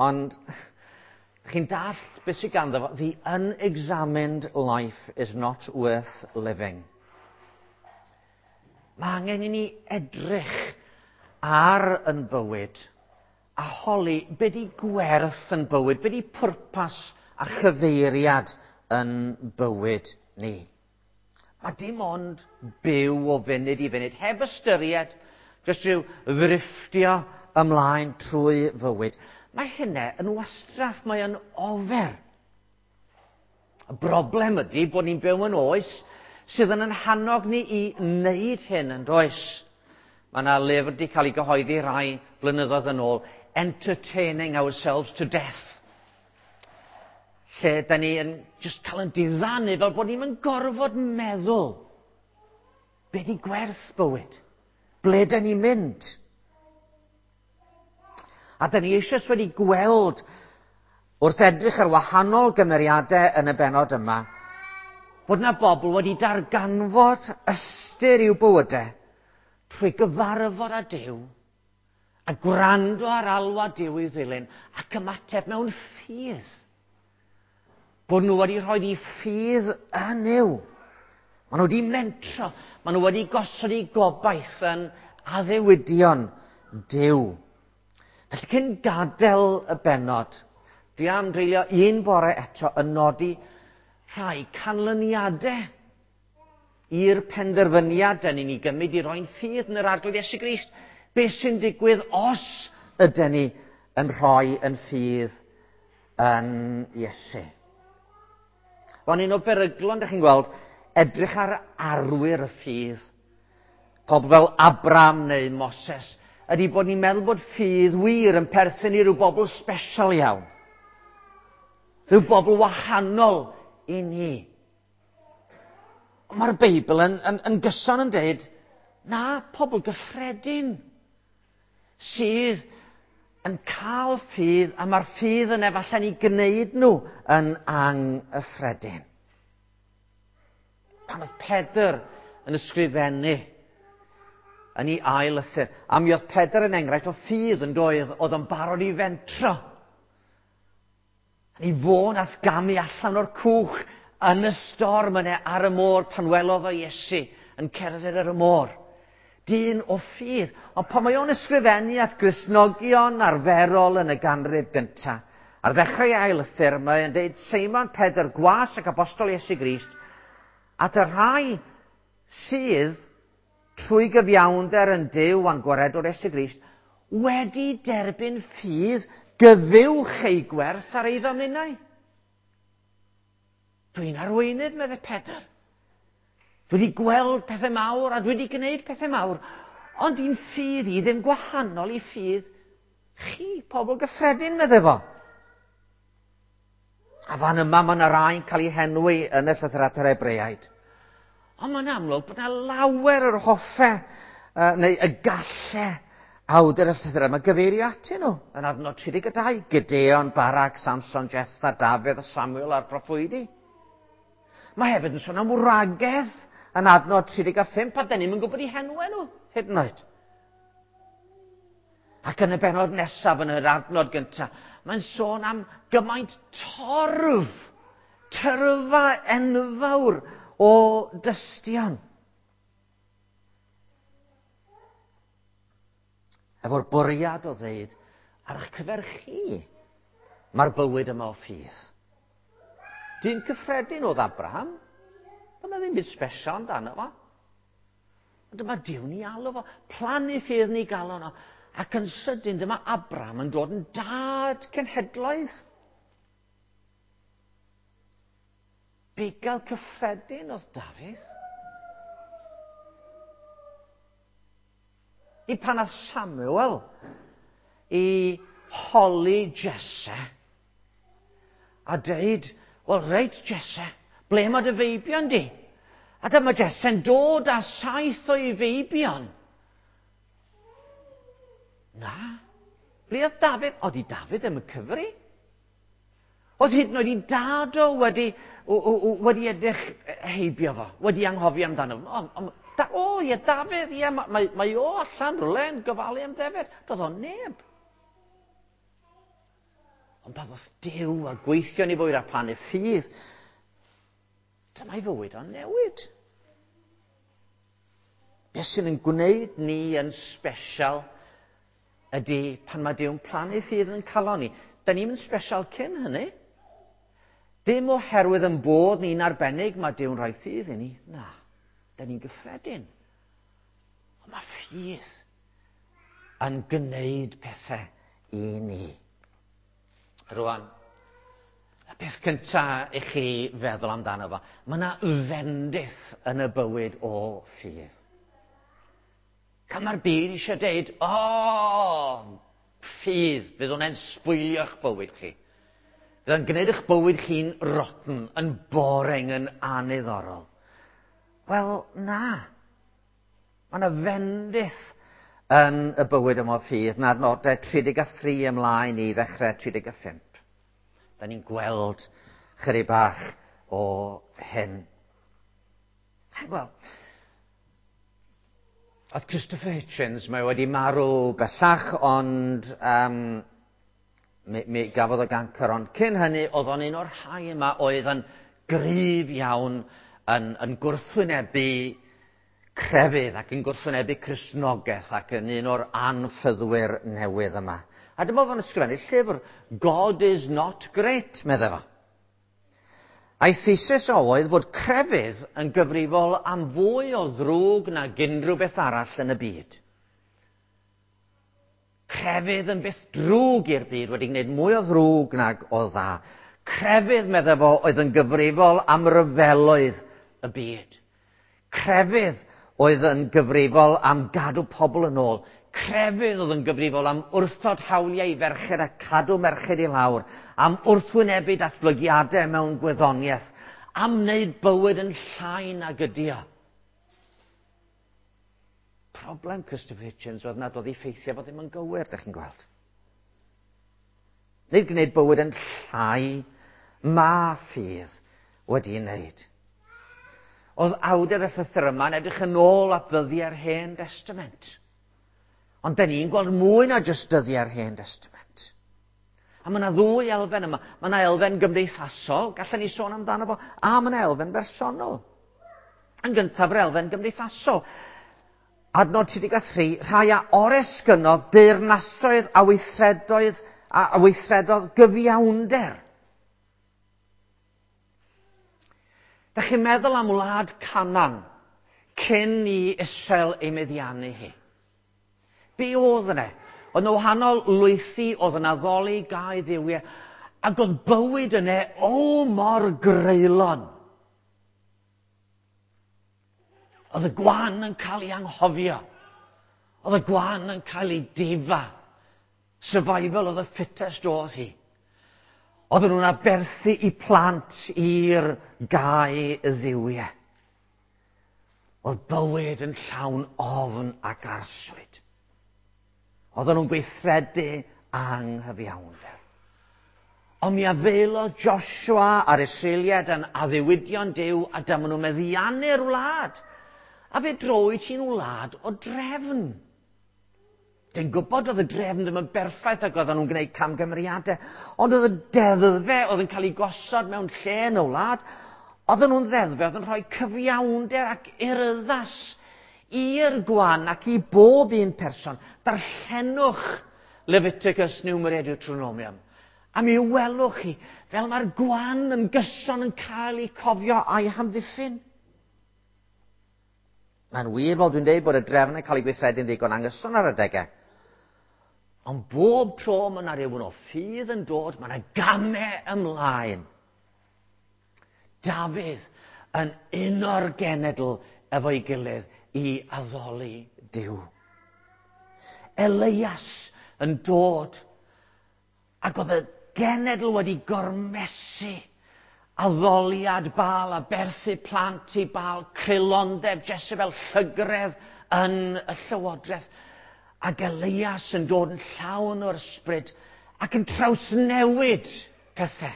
ond chi'n dallt beth sydd ganddo fo. The unexamined life is not worth living. Mae angen i ni edrych ar yn bywyd a holi be di gwerth yn bywyd, be di pwrpas a chyfeiriad yn bywyd ni. A dim ond byw o funud i funud, heb ystyried, jyst rhyw ddrifftio ymlaen trwy fywyd. Mae hynna yn wastraff, mae yn ofer. Y broblem ydy bod ni'n byw yn oes sydd yn hannog ni i wneud hyn yn does. Mae yna lyfr wedi cael ei gyhoeddi rai blynyddoedd yn ôl, Entertaining Ourselves to Death. Lle da ni yn just cael yn diddanu fel bod ni'n gorfod meddwl. Be di gwerth bywyd? Ble da ni'n mynd? A da ni eisoes wedi gweld wrth edrych ar wahanol gymeriadau yn y benod yma, fod na bobl wedi darganfod ystyr i'w bywydau trwy gyfarfod â Duw a gwrando ar alwad Duw i'w ddilyn ac ymateb mewn ffydd. Bod nhw wedi rhoi eu ffydd yn Nuw. Maen nhw wedi mentro, maen nhw wedi gosod eu gobaith yn addewidion Duw. Felly cyn gadael y bennod, dwi am dreulio un bore eto yn nodi rhai canlyniadau i'r penderfyniad dyn ni'n ei gymryd i roi'n ffydd yn yr Arglwydd Iesu Grist. Beth sy'n digwydd os ydyn ni yn rhoi yn ffydd yn Iesu? Wel, un o beryglon, ydych chi'n gweld, edrych ar arwyr y ffydd, pobl fel Abram neu Moses, ydy bod ni'n meddwl bod ffydd wir yn perthyn i ryw bobl special iawn. Rhyw bobl wahanol i ni. Mae'r Beibl yn gyson yn dweud, na, pobl gyffredin sydd yn cael ffydd, a mae'r ffydd yn efallai'n ei gwneud nhw yn anghyffredin. Pan oedd Pedr yn ysgrifennu yn ei ail lythyr, a mi oedd Pedr yn enghraifft o ffydd yn doedd, oedd yn barod i fentro. Yn ei fôn as gamu allan o'r cwch yn y storm yna ar y môr pan welodd o Iesu yn cerdded ar y môr. Dyn o ffydd. Ond pan mae o'n ysgrifennu at Gristnogion arferol yn y ganrif gyntaf, ar ddechrau ei ail lythyr, mae o'n deud Seimon Pedr, gwas ac apostol Iesu Grist, at y rhai sydd trwy gyfiawnder yn Duw a'n gwaredwr Iesu Grist, wedi derbyn ffydd gyfuwch ei gwerth ar ei ddominau. Dwi'n arweinydd, meddai Pedr. Dwi wedi gweld pethau mawr a dwi wedi gwneud pethau mawr, ond i'n ffydd i ddim gwahanol i ffydd chi, pobl gyffredin, meddai fo. A fan yma mae yna rai'n cael ei henwi yn y llythyr at yr Hebreaid. Ond mae'n amlwg bod yna lawer yr hoffe, neu y galle awdur y llythyr yma gyfeirio atyn nhw yn adnod 32. Gideon, Barak, Samson, Jephtha, Dafydd, Samuel a'r proffwydi. Mae hefyd yn sôn am wragedd yn adnod 35, a dyn ni'm yn gwybod eu henwau nhw, hyd yn oed. Ac yn y bennod nesaf, yn yr adnod gyntaf, mae'n sôn am gymaint torf, tyrfa enfawr o dystion. Efo'r bwriad o ddeud, ar eich cyfer chi, mae'r bywyd yma o ffydd. Dyn cyffredin oedd Abraham. Oedd na ddim byd special amdano fo. Ond dyma Duw ni alw fo, plannu ffydd ni galon o. Ac yn sydyn dyma Abraham yn dod yn dad cenhedloedd. Bugail cyffredin oedd Dafydd. I pan ath Samuel i holi Jesse a deud, wel reit Jesse, ble mae dy feibion di? A dyma Jesse'n dod â 7 o'i feibion. Na, ble oedd Dafydd? Oedd i Dafydd ddim yn cyfri. Oedd hyd yn oed i dad o wedi edrych heibio fo, wedi anghofio amdano fo. O, ie, Dafydd, ie, mae o allan rhywle yn gofalu am ddefed. Doedd o neb. Ond pan ddoth Duw a gweithio ni fwyd a plannu ffydd, dyma'i fywyd o'n newid. Beth sy'n yn gwneud ni yn special ydy pan mae Duw'n plannu ffydd yn calon ni. Da ni'm yn special cyn hynny. Dim oherwydd yn bod ni'n arbennig mae Duw'n rhoi ffydd i ni. Na, da ni'n gyffredin. Ond mae ffydd yn gwneud pethau i ni. Rwan, y peth cynta i chi feddwl amdano fo, mae yna fendith yn y bywyd o ffydd. Pan mae'r byd eisiau deud, o, ffydd, fydd hwnna'n sbwylio'ch bywyd chi. Fydd yn gwneud eich bywyd chi'n rotten, yn boring, yn aniddorol. Wel, na. Mae yna fendith yn y bywyd yma o ffydd na'r nodau 33 ymlaen i ddechrau 35. Da ni'n gweld chydig bach o hyn. Wel, oedd Christopher Hitchens, mae wedi marw bellach, ond mi gafodd o gancr, ond cyn hynny, oedd o'n un o'r rhai yma oedd yn gryf iawn yn gwrthwynebu crefydd ac yn gwrthwynebu Cristnogaeth ac yn un o'r anffyddwyr newydd yma. A dyma fo'n ysgrifennu llyfr, God is not great, meddai fo. A'i thesis o oedd fod crefydd yn gyfrifol am fwy o ddrwg nag unrhyw beth arall yn y byd. Crefydd yn beth drwg i'r byd, wedi gwneud mwy o ddrwg nag o dda. Crefydd, meddai fo, oedd yn gyfrifol am ryfeloedd y byd. Crefydd oedd yn gyfrifol am gadw pobl yn ôl. Crefydd oedd yn gyfrifol am wrthod hawliau i ferched a cadw merched i lawr, am wrthwynebu datblygiadau mewn gwyddoniaeth, am wneud bywyd yn llai nag ydi o. Problem Christopher Hitchens oedd nad oedd ei ffeithiau fo ddim yn gywir, dych chi'n gweld. Nid gwneud bywyd yn llai, ma ffydd wedi ei wneud. Oedd awdur y llythyr yma'n edrych yn ôl at ddyddiau'r Hen Testament. Ond da ni'n gweld mwy na jyst dyddiau'r Hen Testament. A mae yna ddwy elfen yma. Mae yna elfen gymdeithasol, gallen ni sôn amdano fo, a mae yna elfen bersonol. Yn gyntaf, yr elfen gymdeithasol. Adnod 33, rhai a oresgynnodd deyrnasoedd a weithredoedd a weithredodd gyfiawnder. Da chi'n meddwl am wlad Canaan cyn i Israel ei meddiannu hi? Be oedd yna? Oedd yna wahanol lwythi, oedd yna addoli gau dduwiau, ac oedd bywyd yna o mor greulon. Oedd y gwan yn cael ei anghofio. Oedd y gwan yn cael ei difa. Survival of the fittest oedd hi. Oedden nhw'n aberthu i plant i'r gau y dduwiau. Oedd bywyd yn llawn ofn ac arswyd. Oedden nhw'n gweithredu anghyfiawnder. Ond mi afaelodd Joshua a'r Israeliaid yn addewidion Duw a dyma nhw'n meddiannu'r wlad. A fe drowyd hi'n wlad o drefn. Dwi'n gwybod oedd y drefn ddim yn berffaith ac oedden nhw'n gwneud camgymeriadau, ond oedd y deddfau oedd yn cael ei gosod mewn lle yn y wlad, oedden nhw'n ddeddfau oedd yn rhoi cyfiawnder ac urddas i'r gwan ac i bob un person. Darllenwch Leviticus, Numeri a Deuteronomium. A mi welwch chi fel mae'r gwan yn gyson yn cael ei cofio a'i hamddiffyn. Mae'n wir, fel dwi'n dweud, bod y drefn yn cael ei gweithredu'n ddigon anghyson ar adegau. Ond bob tro mae yna rhywun o ffydd yn dod, mae yna gamau ymlaen. Dafydd yn uno'r genedl efo'i gilydd i addoli Duw. Elias yn dod ac oedd y genedl wedi gormesu addoliad Baal, aberthu plant i Baal, creulondeb Jezebel, llygredd yn y llywodraeth. Ac Elias yn dod yn llawn o'r ysbryd ac yn trawsnewid pethau.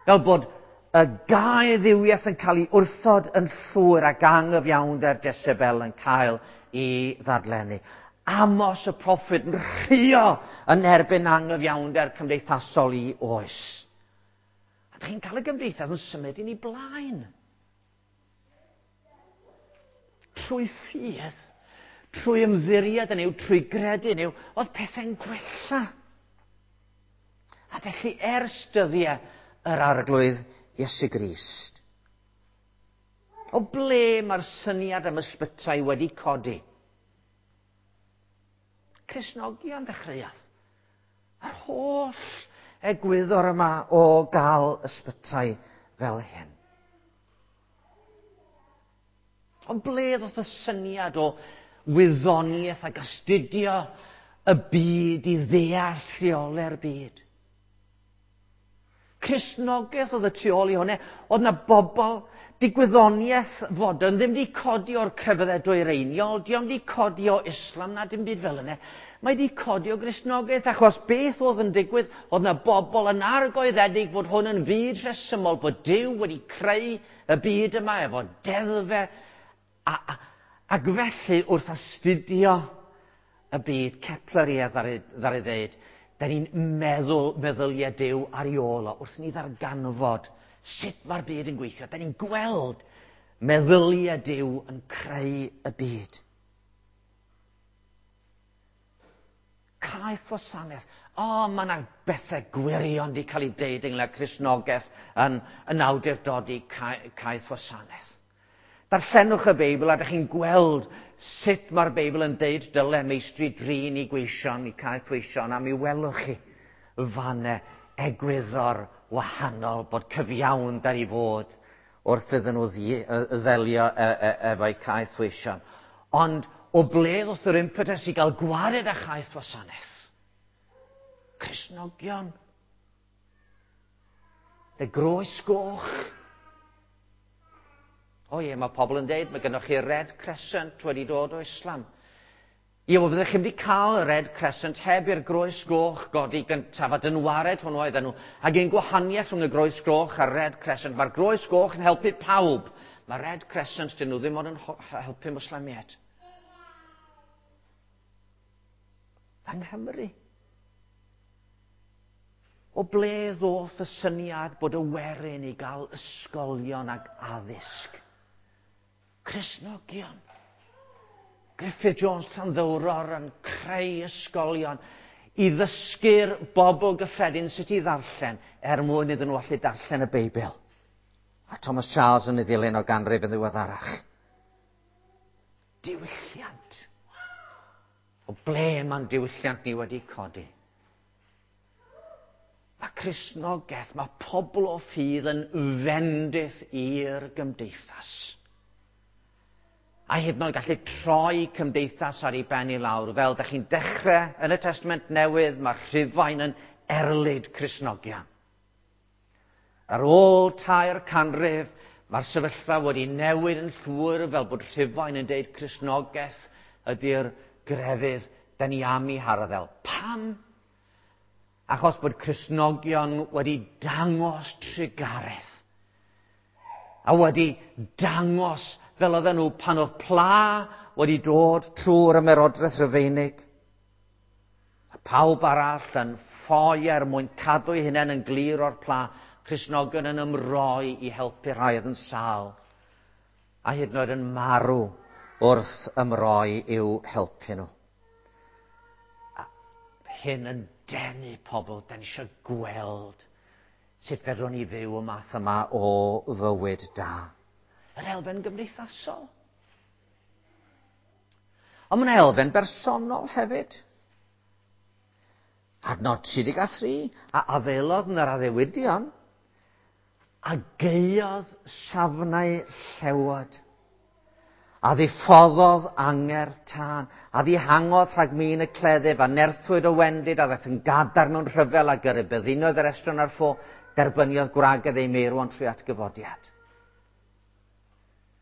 Fel bod y gau dduwiaeth yn cael ei wrthod yn llwyr ac anghyfiawnder Jezebel yn cael ei ddadlennu. Amos y proffwyd yn rhuo yn erbyn anghyfiawnder cymdeithasol i oes. A dych chi'n cael y gymdeithas yn symud yn ei blaen. Trwy ffydd, trwy ymddiried yn Nuw, trwy gredu yn Nuw, oedd pethau'n gwella. A felly ers dyddiau yr Arglwydd Iesu Grist. O ble mae'r syniad am ysbytai wedi codi? Cristnogion ddechreuodd. Yr holl egwyddor yma o gael ysbytai fel hyn. Ond ble ddoth y syniad o wyddoniaeth ac astudio y byd i ddeall rheolau'r byd? Cristnogaeth oedd y tu ôl i hwnna. Oedd na bobl, digwyddoniaeth fodern ddim wedi codi o'r crefyddau dwyreiniol, dio'm wedi codi o Islam na dim byd fel yna. Mae wedi codi o Gristnogaeth, achos beth oedd yn digwydd, oedd na bobl yn argoeddedig fod hwn yn fyd rhesymol, bod Duw wedi creu y byd yma efo deddfe, a, a, ac felly wrth astudio y byd, Kepler ie ddaru, ddaru ddeud, da ni'n meddwl meddyliau Duw ar ei ôl o, wrth ni ddarganfod sut mae'r byd yn gweithio. Da ni'n gweld meddyliau Duw yn creu y byd. Caeth wasanaeth. O, oh, mae yna bethau gwirion wedi cael ei deud ynglyn â Cristnogaeth yn, yn awdurdodi caeth wasanaeth. Darllenwch y Beibl a ydych chi'n gweld sut mae'r Beibl yn deud dyle meistri drin i gweision, i caeth weision, a mi welwch chi fanne egwyddor wahanol bod cyfiawnder i fod wrth iddyn nhw ddelio efo'u caeth weision. Ond o ble ddoth yr impetus i gael gwared â chaeth wasanaeth? Cristnogion. Y groes goch. O ie, mae pobl yn deud, mae gennych chi Red Crescent wedi dod o Islam. Ie, wel, fyddech chi'm wedi cael y Red Crescent heb i'r Groes Goch godi gyntaf, a dynwared hwnnw oedden nhw. Ac un gwahaniaeth rhwng y Groes Goch a'r Red Crescent, mae'r Groes Goch yn helpu pawb. Mae Red Crescent, dyn nhw ddim ond yn helpu Mwslemiaid. Yng Nghymru. O ble ddoth y syniad bod y werin i gael ysgolion ac addysg? Cristnogion. Griffith Jones Llanddowror yn creu ysgolion i ddysgu'r bobl gyffredin sut i ddarllen er mwyn iddyn nhw allu darllen y Beibl. A Thomas Charles yn ei ddilyn o ganrif yn ddiweddarach. Diwylliant. O ble mae'n diwylliant ni wedi codi? Mae Cristnogaeth, mae pobl o ffydd yn fendith i'r gymdeithas. A hyd yn oed gallu troi cymdeithas ar ei ben i lawr. Fel da chi'n dechrau yn y Testament Newydd, mae Rhufain yn erlid Cristnogion. Ar ôl 300, mae'r sefyllfa wedi newid yn llwyr fel bod Rhufain yn deud Cristnogaeth ydy'r grefydd da ni am i harddel. Pam? Achos bod Cristnogion wedi dangos trugaredd. A wedi dangos fel oedden nhw pan oedd pla wedi dod trwy'r ymerodraeth Rufeinig. A pawb arall yn ffoi er mwyn cadw eu hunain yn glir o'r pla, Cristnogion yn ymroi i helpu rhai oedd yn sâl, a hyd yn oed yn marw wrth ymroi i'w helpu nhw. A hyn yn denu pobl, da ni eisiau gweld sut fedrwn ni fyw y math yma o fywyd da. Yr elfen gymdeithasol. Ond mae'n elfen bersonol hefyd. Adnod 33, a afaelodd yn yr addewidion, a gaeodd safnau llewod, a ddiffoddodd angerdd tân, a ddihangodd rhag min y cleddyf, a nerthwyd o wendid, a ddaeth yn gadarn mewn rhyfel, a gyrru byddinoedd yr estron ar ffo, derbyniodd gwragedd ei meirwon trwy atgyfodiad.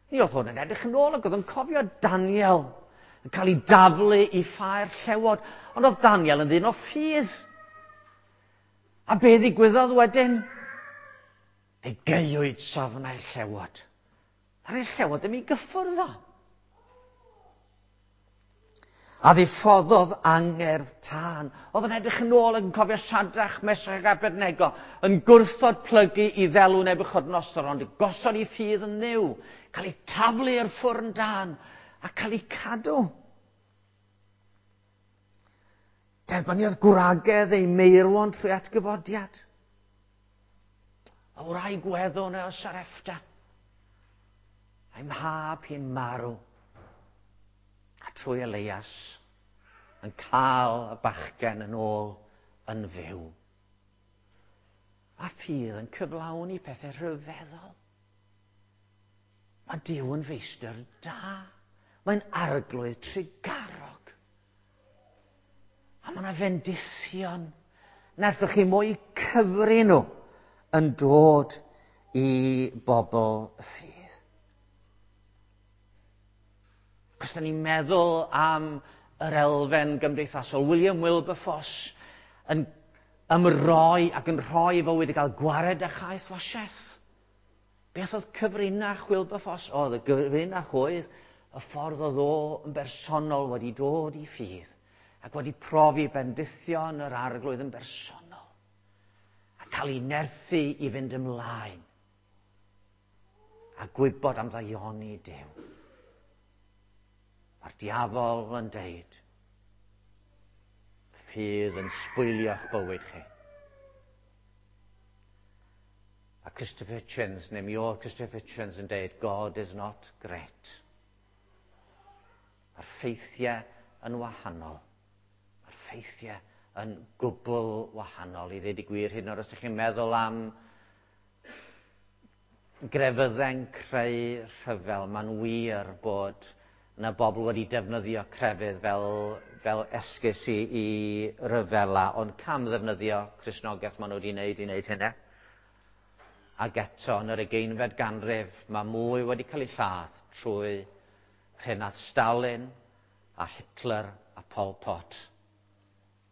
Mi oedd hwn yn edrych yn ôl ac oedd yn cofio Daniel yn cael ei daflu i ffair llewod, ond oedd Daniel yn ddyn o ffydd. A be ddigwyddodd wedyn? Fe gaewyd safnau'r llewod. A'r llewod ddim i gyffwrdd o. A ddiffoddodd angerdd tân. Oedd yn edrych yn ôl ac yn cofio Sadrach, Mesach ac Abednego yn gwrthod plygu i ddelw Nebuchadnezzar, ond gosod ei ffydd yn Nuw, cael ei taflu i'r ffwrn dân a cael ei cadw. Derbyniodd gwragedd ei meirwon trwy atgyfodiad. Y wraig weddw o Sarepta. A'i mhab hi'n marw. A trwy Elias yn cael y bachgen yn ôl yn fyw. Mae ffydd yn cyflawni pethau rhyfeddol. Mae Duw yn feistr da. Mae'n arglwydd trugarog. A mae yna fendithion. Na allwch chi mwy cyfri nhw yn dod i bobl ffydd. Cos da ni'n meddwl am yr elfen gymdeithasol. William Wilberforce yn ymroi ac yn rhoi fywyd i gael gwared â chaeth wasiaeth. Beth oedd cyfrinach Wilberforce? Oedd y gyfrinach oedd y ffordd oedd o yn bersonol wedi dod i ffydd ac wedi profi bendithion yr arglwydd yn bersonol a cael ei nerthu i fynd ymlaen a gwybod am ddaioni Duw. Mae'r diafol yn deud, ffydd yn sbwylio'ch bywyd chi. A Christopher Hitchens, neu mi oedd Christopher Hitchens yn deud, God is not great. Mae'r ffeithiau yn wahanol. Mae'r ffeithiau yn gwbl wahanol. I ddweud y gwir, hyd yn oed os ydych chi'n meddwl am grefyddau'n creu rhyfel, mae'n wir bod yna bobl wedi defnyddio crefydd fel, fel esgus i, i ryfela, ond cam ddefnyddio Cristnogaeth maen nhw wedi wneud i wneud hynny. Ac eto, yn yr ugeinfed ganrif, mae mwy wedi cael ei lladd trwy rhenad Stalin a Hitler a Pol Pot.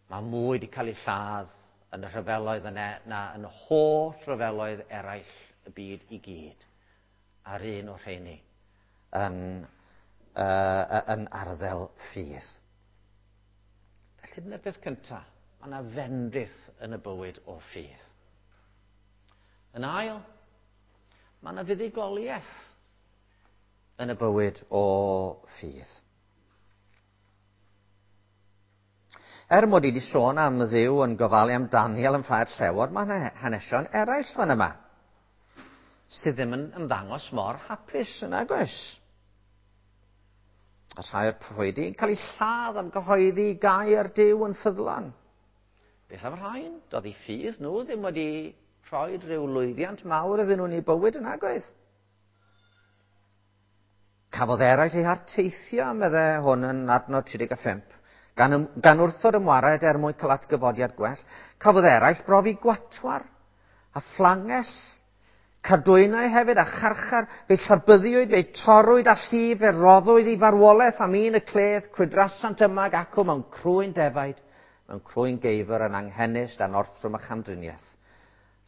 Mae mwy wedi cael ei lladd yn y rhyfeloedd yna na yn holl rhyfeloedd eraill y byd i gyd. A'r un o'r rheini yn, yn arddel ffydd. Felly dyna'r peth cyntaf. Mae yna fendith yn y bywyd o ffydd. Yn ail, mae yna fuddugoliaeth yn y bywyd o ffydd. Er mod i wedi sôn am Dduw yn gofalu am Daniel yn ffair llewod, mae yna hanesion eraill fan yma sydd ddim yn ymddangos mor hapus yn agos. A rhai o'r proffwydi yn cael eu lladd am gyhoeddi gair Duw yn ffyddlon. Beth am rhain? Doedd eu ffydd nhw ddim wedi rhoi rhyw lwyddiant mawr iddyn nhw'n eu bywyd yn agoedd. Cafodd eraill eu harteithio, medde hwn yn adnod 35, gan, ym, gan wrthod ymwared er mwyn cael atgyfodiad gwell. Cafodd eraill brofi gwatwar a phlangell, cadwynau hefyd a charchar, fe llabyddiwyd, fe torrwyd a llif, fe roddwyd i farwolaeth am un y cledd, crwydrasant yma ac acw mewn crwyn defaid, mewn crwyn geifr yn anghenus dan orthrwm a chamdriniaeth.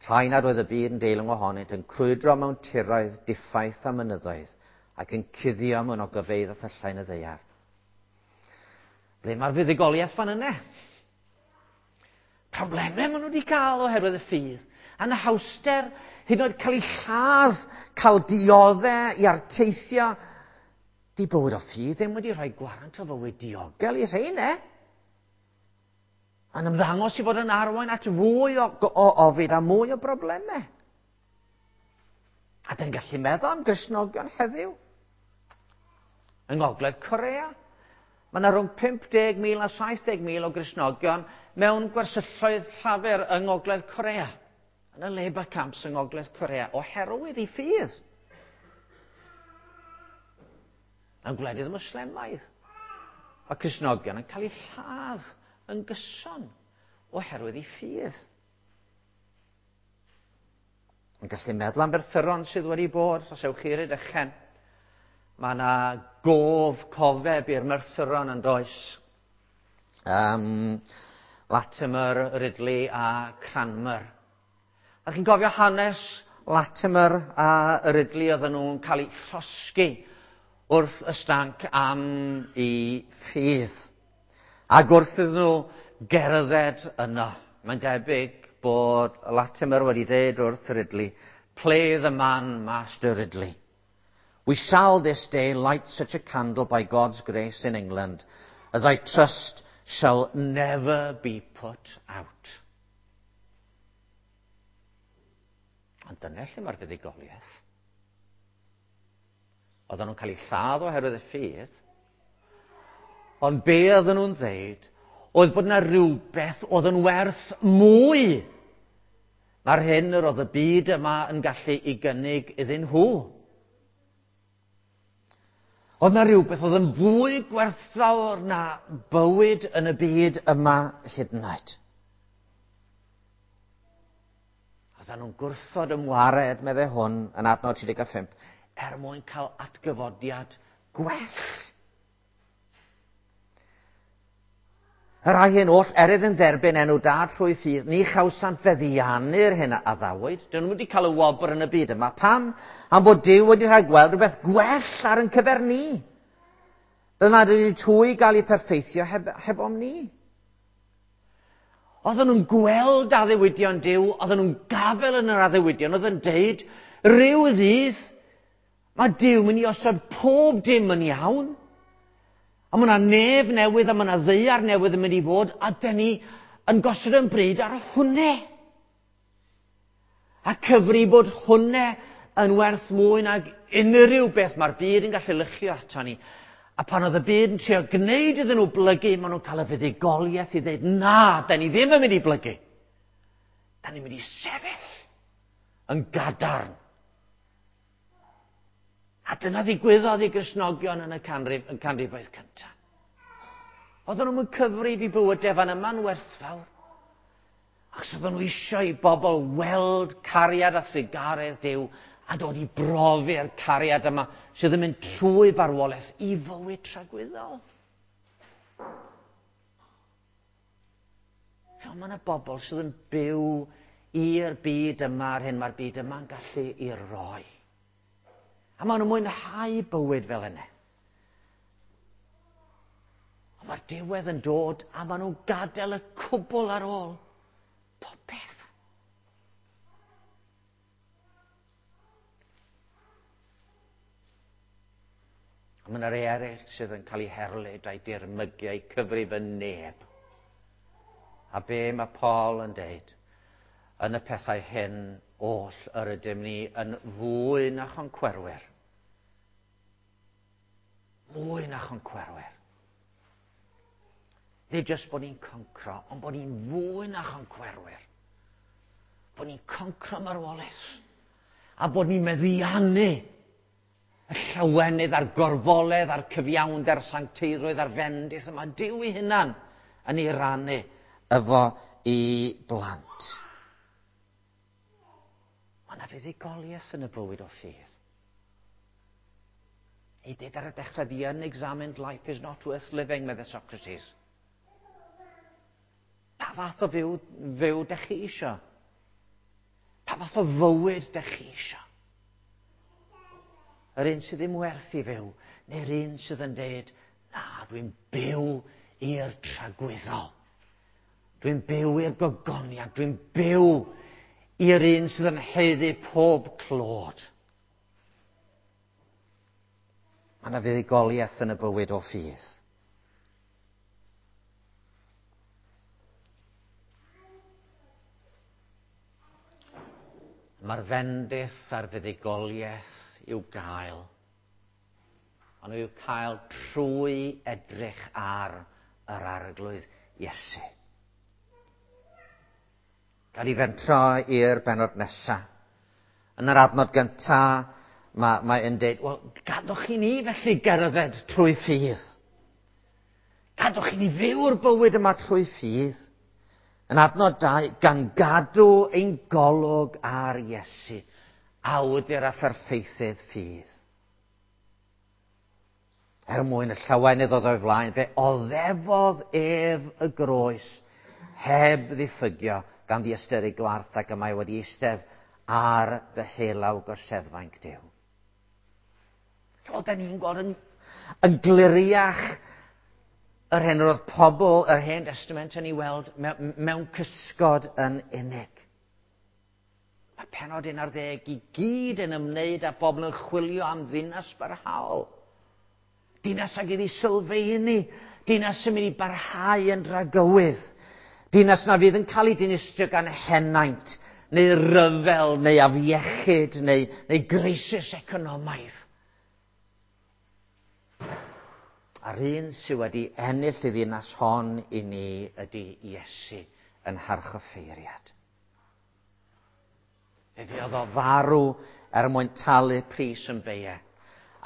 Rhai nad oedd y byd yn deilwng ohonynt yn crwydro mewn tiroedd diffaith a mynyddoedd ac yn cuddio mewn ogofeydd a thyllau yn y ddaear. Ble mae'r fuddugoliaeth fan yna? Problemau maen nhw wedi cael oherwydd y ffydd. Anhawster, hyd yn oed cael eu lladd, cael dioddau i arteithio. Di bywyd o ffydd ddim wedi rhoi gwarant o fywyd diogel i rhein, e? Yn ymddangos i fod yn arwain at fwy o, o ofid a mwy o broblemau. A dyn gallu meddwl am Gristnogion heddiw. Yng Ngogledd Corea, mae yna rhwng 50,000 a 70,000 o Gristnogion mewn gwersylloedd llafur yng Ngogledd Corea, yn y labour camps yng Ngogledd Corea, oherwydd ei ffydd. Yn gwledydd Muslimaidd, mae Cristnogion yn cael eu lladd yn gyson oherwydd ei ffydd. Yn gallu meddwl am berthyron sydd wedi bod, os ewch chi i'r Rhydychen. Mae yna gof cofeb i'r merthyron yn does. Um, Latimer, Ridley a Cranmer. A chi'n cofio hanes Latimer a Ridley oedden nhw'n cael eu llosgi wrth y stanc am eu ffydd. Ac wrth iddyn nhw gerdded yno, mae'n debyg bod Latimer wedi dweud wrth Ridley, Play the man, Master Ridley. We shall this day light such a candle by God's grace in England, as I trust shall never be put out. Ond dyna lle mae'r fuddugoliaeth. Oedden nhw'n cael eu lladd oherwydd y ffydd. Ond be oedden nhw'n dweud oedd bod yna rhywbeth oedd yn werth mwy na'r hyn yr oedd y byd yma yn gallu ei gynnig iddyn nhw. Oedd yna rhywbeth oedd yn fwy gwerthfawr na bywyd yn y byd yma hyd yn oed. Oedden nhw'n gwrthod ymwared, meddai hwn, yn adnod 35, er mwyn cael atgyfodiad gwell. Y rhai hyn oll, er iddyn dderbyn enw da trwy ffydd, ni chawsant feddiannu'r hyn a addawyd. Dyn nhw wedi cael y wobr yn y byd yma. Pam? Am bod Duw wedi rhoi gweld rhywbeth gwell ar yn cyfer ni. Fel nad ydyn twy gael eu perffeithio heb, heb om ni. Oedden nhw'n gweld addewidion Duw, oedden nhw'n gafel yn yr addewidion, oedd yn deud, rhyw ddydd, mae Duw mynd i osod pob dim yn iawn. A mae yna nef newydd a mae yna ddaear newydd yn mynd i fod, a dyn ni yn gosod yn bryd ar hwnne. A cyfri bod hwnne yn werth mwy nag unrhyw beth mae'r byd yn gallu lychio ato ni. A pan oedd y byd yn trio gwneud iddyn nhw blygu, maen nhw'n cael y fuddugoliaeth i ddweud, na, da ni ddim yn mynd i blygu. Da ni'n mynd i sefyll yn gadarn. A dyna ddigwyddodd i Gristnogion yn y canrif, yn canrifoedd cyntaf. Oedden nhw'n cyfrif i bywydau fan yma'n werthfawr. Achos oedden nhw eisiau i bobl weld cariad a thrugaredd Duw a dod i brofi'r cariad yma sydd yn mynd trwy farwolaeth i fywyd tragwyddol. Fel mae yna bobl sydd yn byw i'r byd yma a'r hyn mae'r byd yma'n gallu i roi. A maen nhw'n mwynhau bywyd fel yna. Ond mae'r diwedd yn dod a maen nhw'n gadael y cwbl ar ôl. Popeth. A mae yna rei eraill sydd yn cael eu herlid a'i dirmygu a'i cyfrif yn neb. A be mae Paul yn deud? Yn y pethau hyn oll yr ydym ni yn fwy na choncwerwyr. Mwy na choncwerwyr. Nid jyst bod ni'n concro, ond bod ni'n fwy na choncwerwyr. Bod ni'n concro marwolaeth. A bod ni'n meddiannu y llawenydd a'r gorfoledd a'r cyfiawnder sancteirwydd a'r fendith yma. Duw ei hunan yn ei rannu efo i blant. Mae yna fuddugoliaeth yn y bywyd o ffydd. Ei dweud ar y dechrau, the unexamined life is not worth living, medde Socrates. Pa fath o fyw, fyw dech chi isio? Pa fath o fywyd dech chi isio? Yr un sydd ddim werth i fyw, neu'r un sydd yn dweud, na, dwi'n byw i'r tragwyddol. Dwi'n byw i'r gogoniant, dwi'n byw i'r un sydd yn haeddu pob clod. Mae yna fuddugoliaeth yn y bywyd o ffydd. Mae'r fendith a'r fuddugoliaeth i'w gael. Ond i'w cael trwy edrych ar yr Arglwydd Iesu. Gad i fentro i'r benod nesaf. Yn yr adnod gyntaf, mae, mae yn dweud, wel, gadwch i ni felly gerdded trwy ffydd. Gadwch i ni fyw'r bywyd yma trwy ffydd. Yn adnod 2, gan gadw ein golwg ar Iesu, awdur a pherffeithydd ffydd. Er mwyn y llawenydd oedd o'i flaen, fe oddefodd ef y groes heb ddiffygio gan ddiystyru gwarth ac y mae wedi eistedd ar ddyhelaw gorseddfainc Duw. Wel, da ni'n gweld yn, yn gliriach yr hyn oedd pobl yr Hen Testament yn ei weld mewn, mewn cysgod yn unig. Mae penod 11 i gyd yn ymwneud â bobl yn chwilio am ddinas barhaol. Dinas ag iddi sylfaenu. Dinas sy'n mynd i barhau yn dragywydd. Dinas na fydd yn cael ei dinistrio gan henaint, neu ryfel, neu afiechyd, neu, neu greisis economaidd. A'r un sydd wedi ennill y ddinas hon i ni ydy Iesu yn harchoffeiriad. Fe fuodd o farw er mwyn talu pris yn beie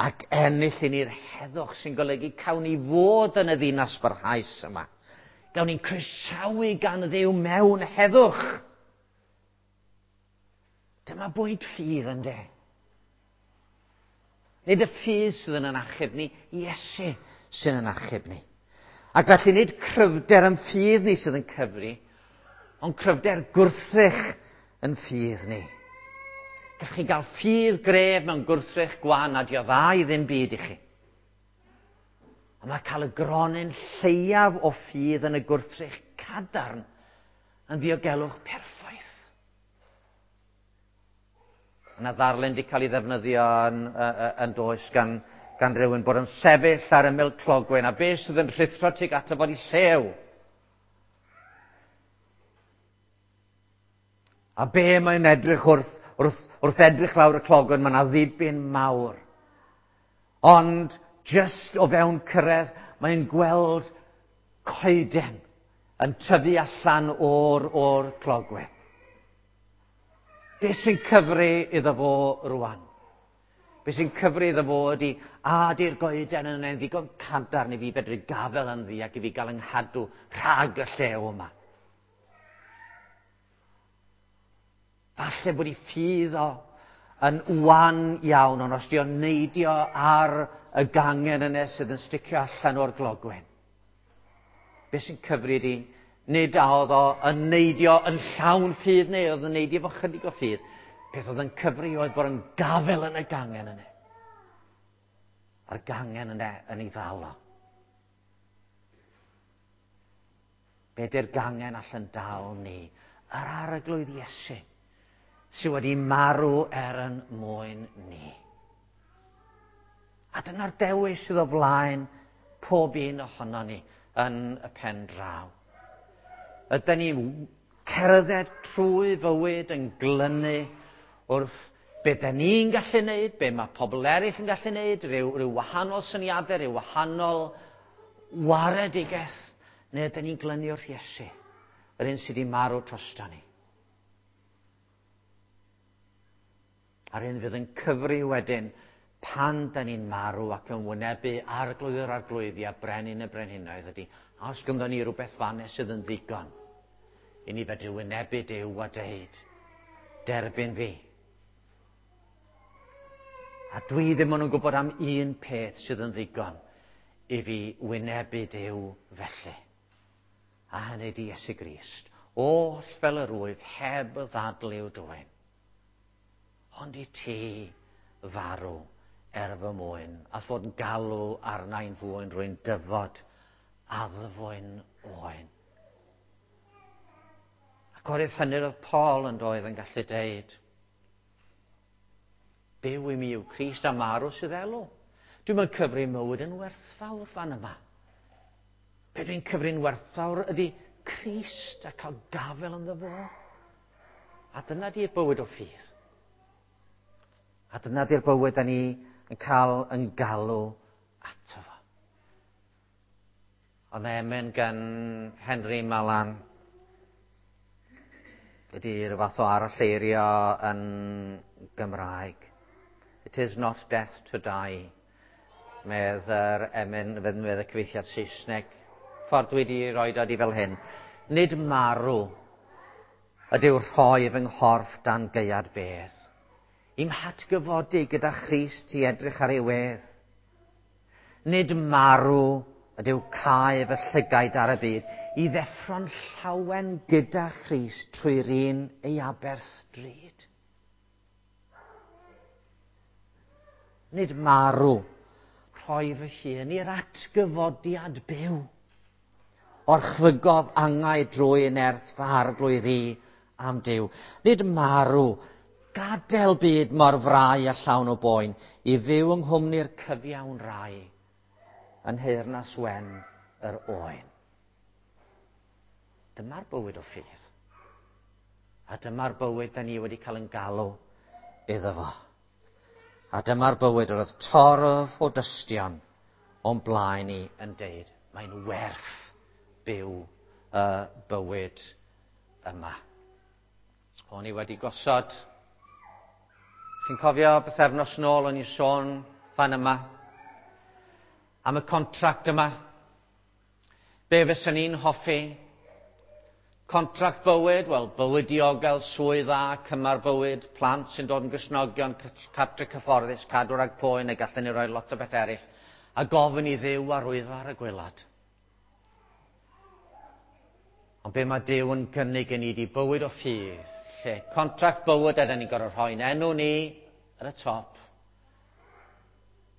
ac ennill i ni'r heddwch sy'n golygu cawn ni fod yn y ddinas barhaus yma. Gawn ni'n croesawu gan Dduw mewn heddwch. Dyma bwynt ffydd ynddo. Nid y ffydd sydd yn achub ni, Iesu sydd yn achub ni. Ac felly nid cryfder yn ffydd ni sydd yn cyfri, ond cryfder gwrthrych yn ffydd ni. Gallwch chi gael ffydd gref mewn gwrthrych gwan a dio dda i ddim byd i chi. Ond mae cael y gronyn lleiaf o ffydd yn y gwrthrych cadarn yn ddiogelwch perffaith. Yna ddarlun wedi cael ei ddefnyddio yn, yn does gan, gan rhywun bod yn sefyll ar ymyl clogwyn a beth sydd yn rhuthro tuag ato fod i llew. A be mae'n edrych wrth, wrth, wrth edrych lawr y clogwyn, mae yna ddibyn mawr. Ond just o fewn cyrraedd, mae'n gweld coeden yn tyfu allan o'r, or clogwyn. Be sy'n cyfri iddo fo rwan? Be sy'n cyfri iddo fo ydy, a di'r goeden yn ein ddigon cadarn i fi fedru gafel ynddi ac i fi gael yng nghadw rhag y llew yma. Falle bod ei ffydd o yn wan iawn, ond os di o'n neidio ar y gangen yna sydd yn sticio allan o'r glogwyn, Be sy'n cyfri di, nid a oedd o yn neidio yn llawn ffydd neu oedd yn neidio efo chydig o ffydd. Peth oedd yn cyfri oedd bod yn gafel yn y gangen yna. A'r gangen yna yn ei ddal o. Be di'r gangen allan dal ni? Yr arglwydd Iesu sydd wedi marw er yn mwyn ni. A dyna'r dewis sydd o flaen pob un ohono ni yn y pen draw. Ydyn ni'n cerdded trwy fywyd yn glynu wrth be da ni'n gallu neud, be mae pobl eraill yn gallu neud, rhyw, rhyw wahanol syniadau, rhyw wahanol waredigaeth, neu ydyn ni'n glynu wrth Iesu, yr un sydd wedi marw drosto ni. A'r un fydd yn cyfri wedyn pan da ni'n marw ac yn wynebu arglwydd yr arglwyddi a brenin y brenhinoedd ydy, a os gynddon ni rhywbeth fanne sydd yn ddigon i ni fedru wynebu Duw a deud, derbyn fi. A dwi ddim ond yn gwybod am un peth sydd yn ddigon i fi wynebu Duw felly. A hynny di Iesu Grist. Oll fel yr wyf heb ddadl i'w dwyn. Ond i ti farw er fy mwyn, a fod yn galw arna i'n fwyn, rwy'n dyfod addfwyn oen. Ac o'r hynny oedd Paul yn doedd yn gallu deud, byw i mi yw Crist a marw sydd elw. Dwi'n mynd cyfri mywyd yn werthfawr fan yma. Be dwi'n cyfri'n werthfawr ydy Crist a cael gafel ynddo fo. A dyna di'r bywyd o ffydd. A dyna di'r bywyd da ni yn cael yn galw ato fo. Ond emyn gan Henry Malan ydy rhyw fath o aralleirio yn Gymraeg. It is not death to die, medd yr emyn, medd y cyfieithiad Saesneg. Ffordd dwi wedi rhoi dod i fel hyn. Nid marw ydyw rhoi fy nghorff dan gaead bedd. I'm hatgyfodi gyda Christ i edrych ar ei wedd. Nid marw ydyw cau fy llygaid ar y byd, i ddeffro'n llawen gyda Christ trwy'r un ei aberth drud. Nid marw, rhoi fy hun i'r atgyfodiad byw. Orchfygodd angau drwy nerth fy arglwydd i am Duw. Nid marw, gadael byd mor frau a llawn o boen, i fyw yng nghwmni'r cyfiawn rai yn nheyrnas wen yr oen. Dyma'r bywyd o ffydd. A dyma'r bywyd da ni wedi cael yn galw iddo fo. A dyma'r bywyd yr oedd torf o dystion o'n blaen ni yn deud, mae'n werth byw y bywyd yma. O'n i wedi gosod, chi'n cofio bythefnos nôl o'n i sôn fan yma, am y contract yma. Be fyswn i'n hoffi? Contract bywyd, wel, bywyd diogel, swydd dda, cymar bywyd, plant sy'n dod yn Gristnogion, cartre cyfforddus, cadw rhag poen, neu gallen ni roi lot o beth eraill, a gofyn i Dduw arwyddo ar y gwaelod. Ond be mae Duw yn gynnig i ni 'di bywyd o ffydd, lle contract bywyd a da ni'n gorfod rhoi'n enw ni ar y top,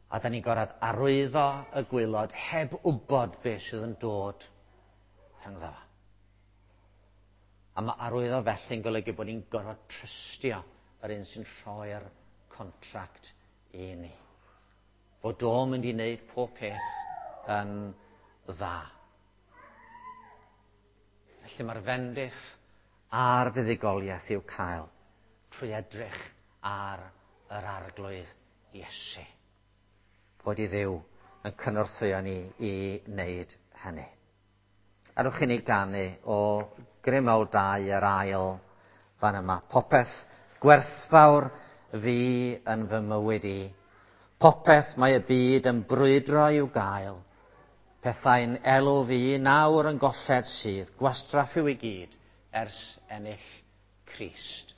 a da ni'n gorfod arwyddo y gwaelod heb wybod beth sydd yn dod rhyngddo fo. A mae arwyddo felly'n golygu bod ni'n gorfod trystio yr un sy'n rhoi'r contract i ni. Bod o'n mynd i wneud pob peth yn dda. Felly mae'r fendith a'r fuddugoliaeth i'w cael trwy edrych ar yr Arglwydd Iesu. Bod i Dduw yn cynorthwyo ni i wneud hynny. Adewch i ni ganu o Grym Mawl 2 yr ail fan yma. Popeth gwerthfawr fi yn fy mywyd i. Popeth mae y byd yn brwydro i'w gael. Pethau'n elw fi nawr yn golled sydd. Gwastraff yw i gyd ers ennill Crist.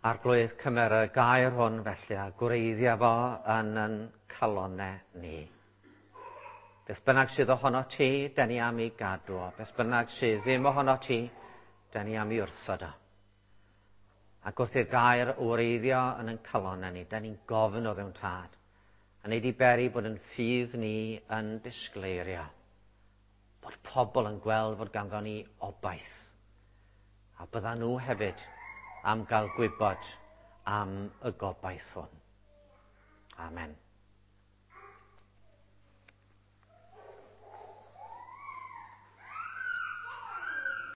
Arglwydd, cymer y gair hwn felly a gwreiddio fo yn yn calonau ni. Beth bynnag sydd ohono ti, da ni am i gadw o. Beth bynnag sydd ddim ohono ti, da ni am i wrthod o. Ac wrth i'r gair wreiddio yn ein calon ni, da ni'n gofyn o ddewn tad. A wneud i beri bod yn ffydd ni yn disgleirio. Bod pobl yn gweld fod ganddo ni obaith. A bydda nhw hefyd am gael gwybod am y gobaith hwn. Amen.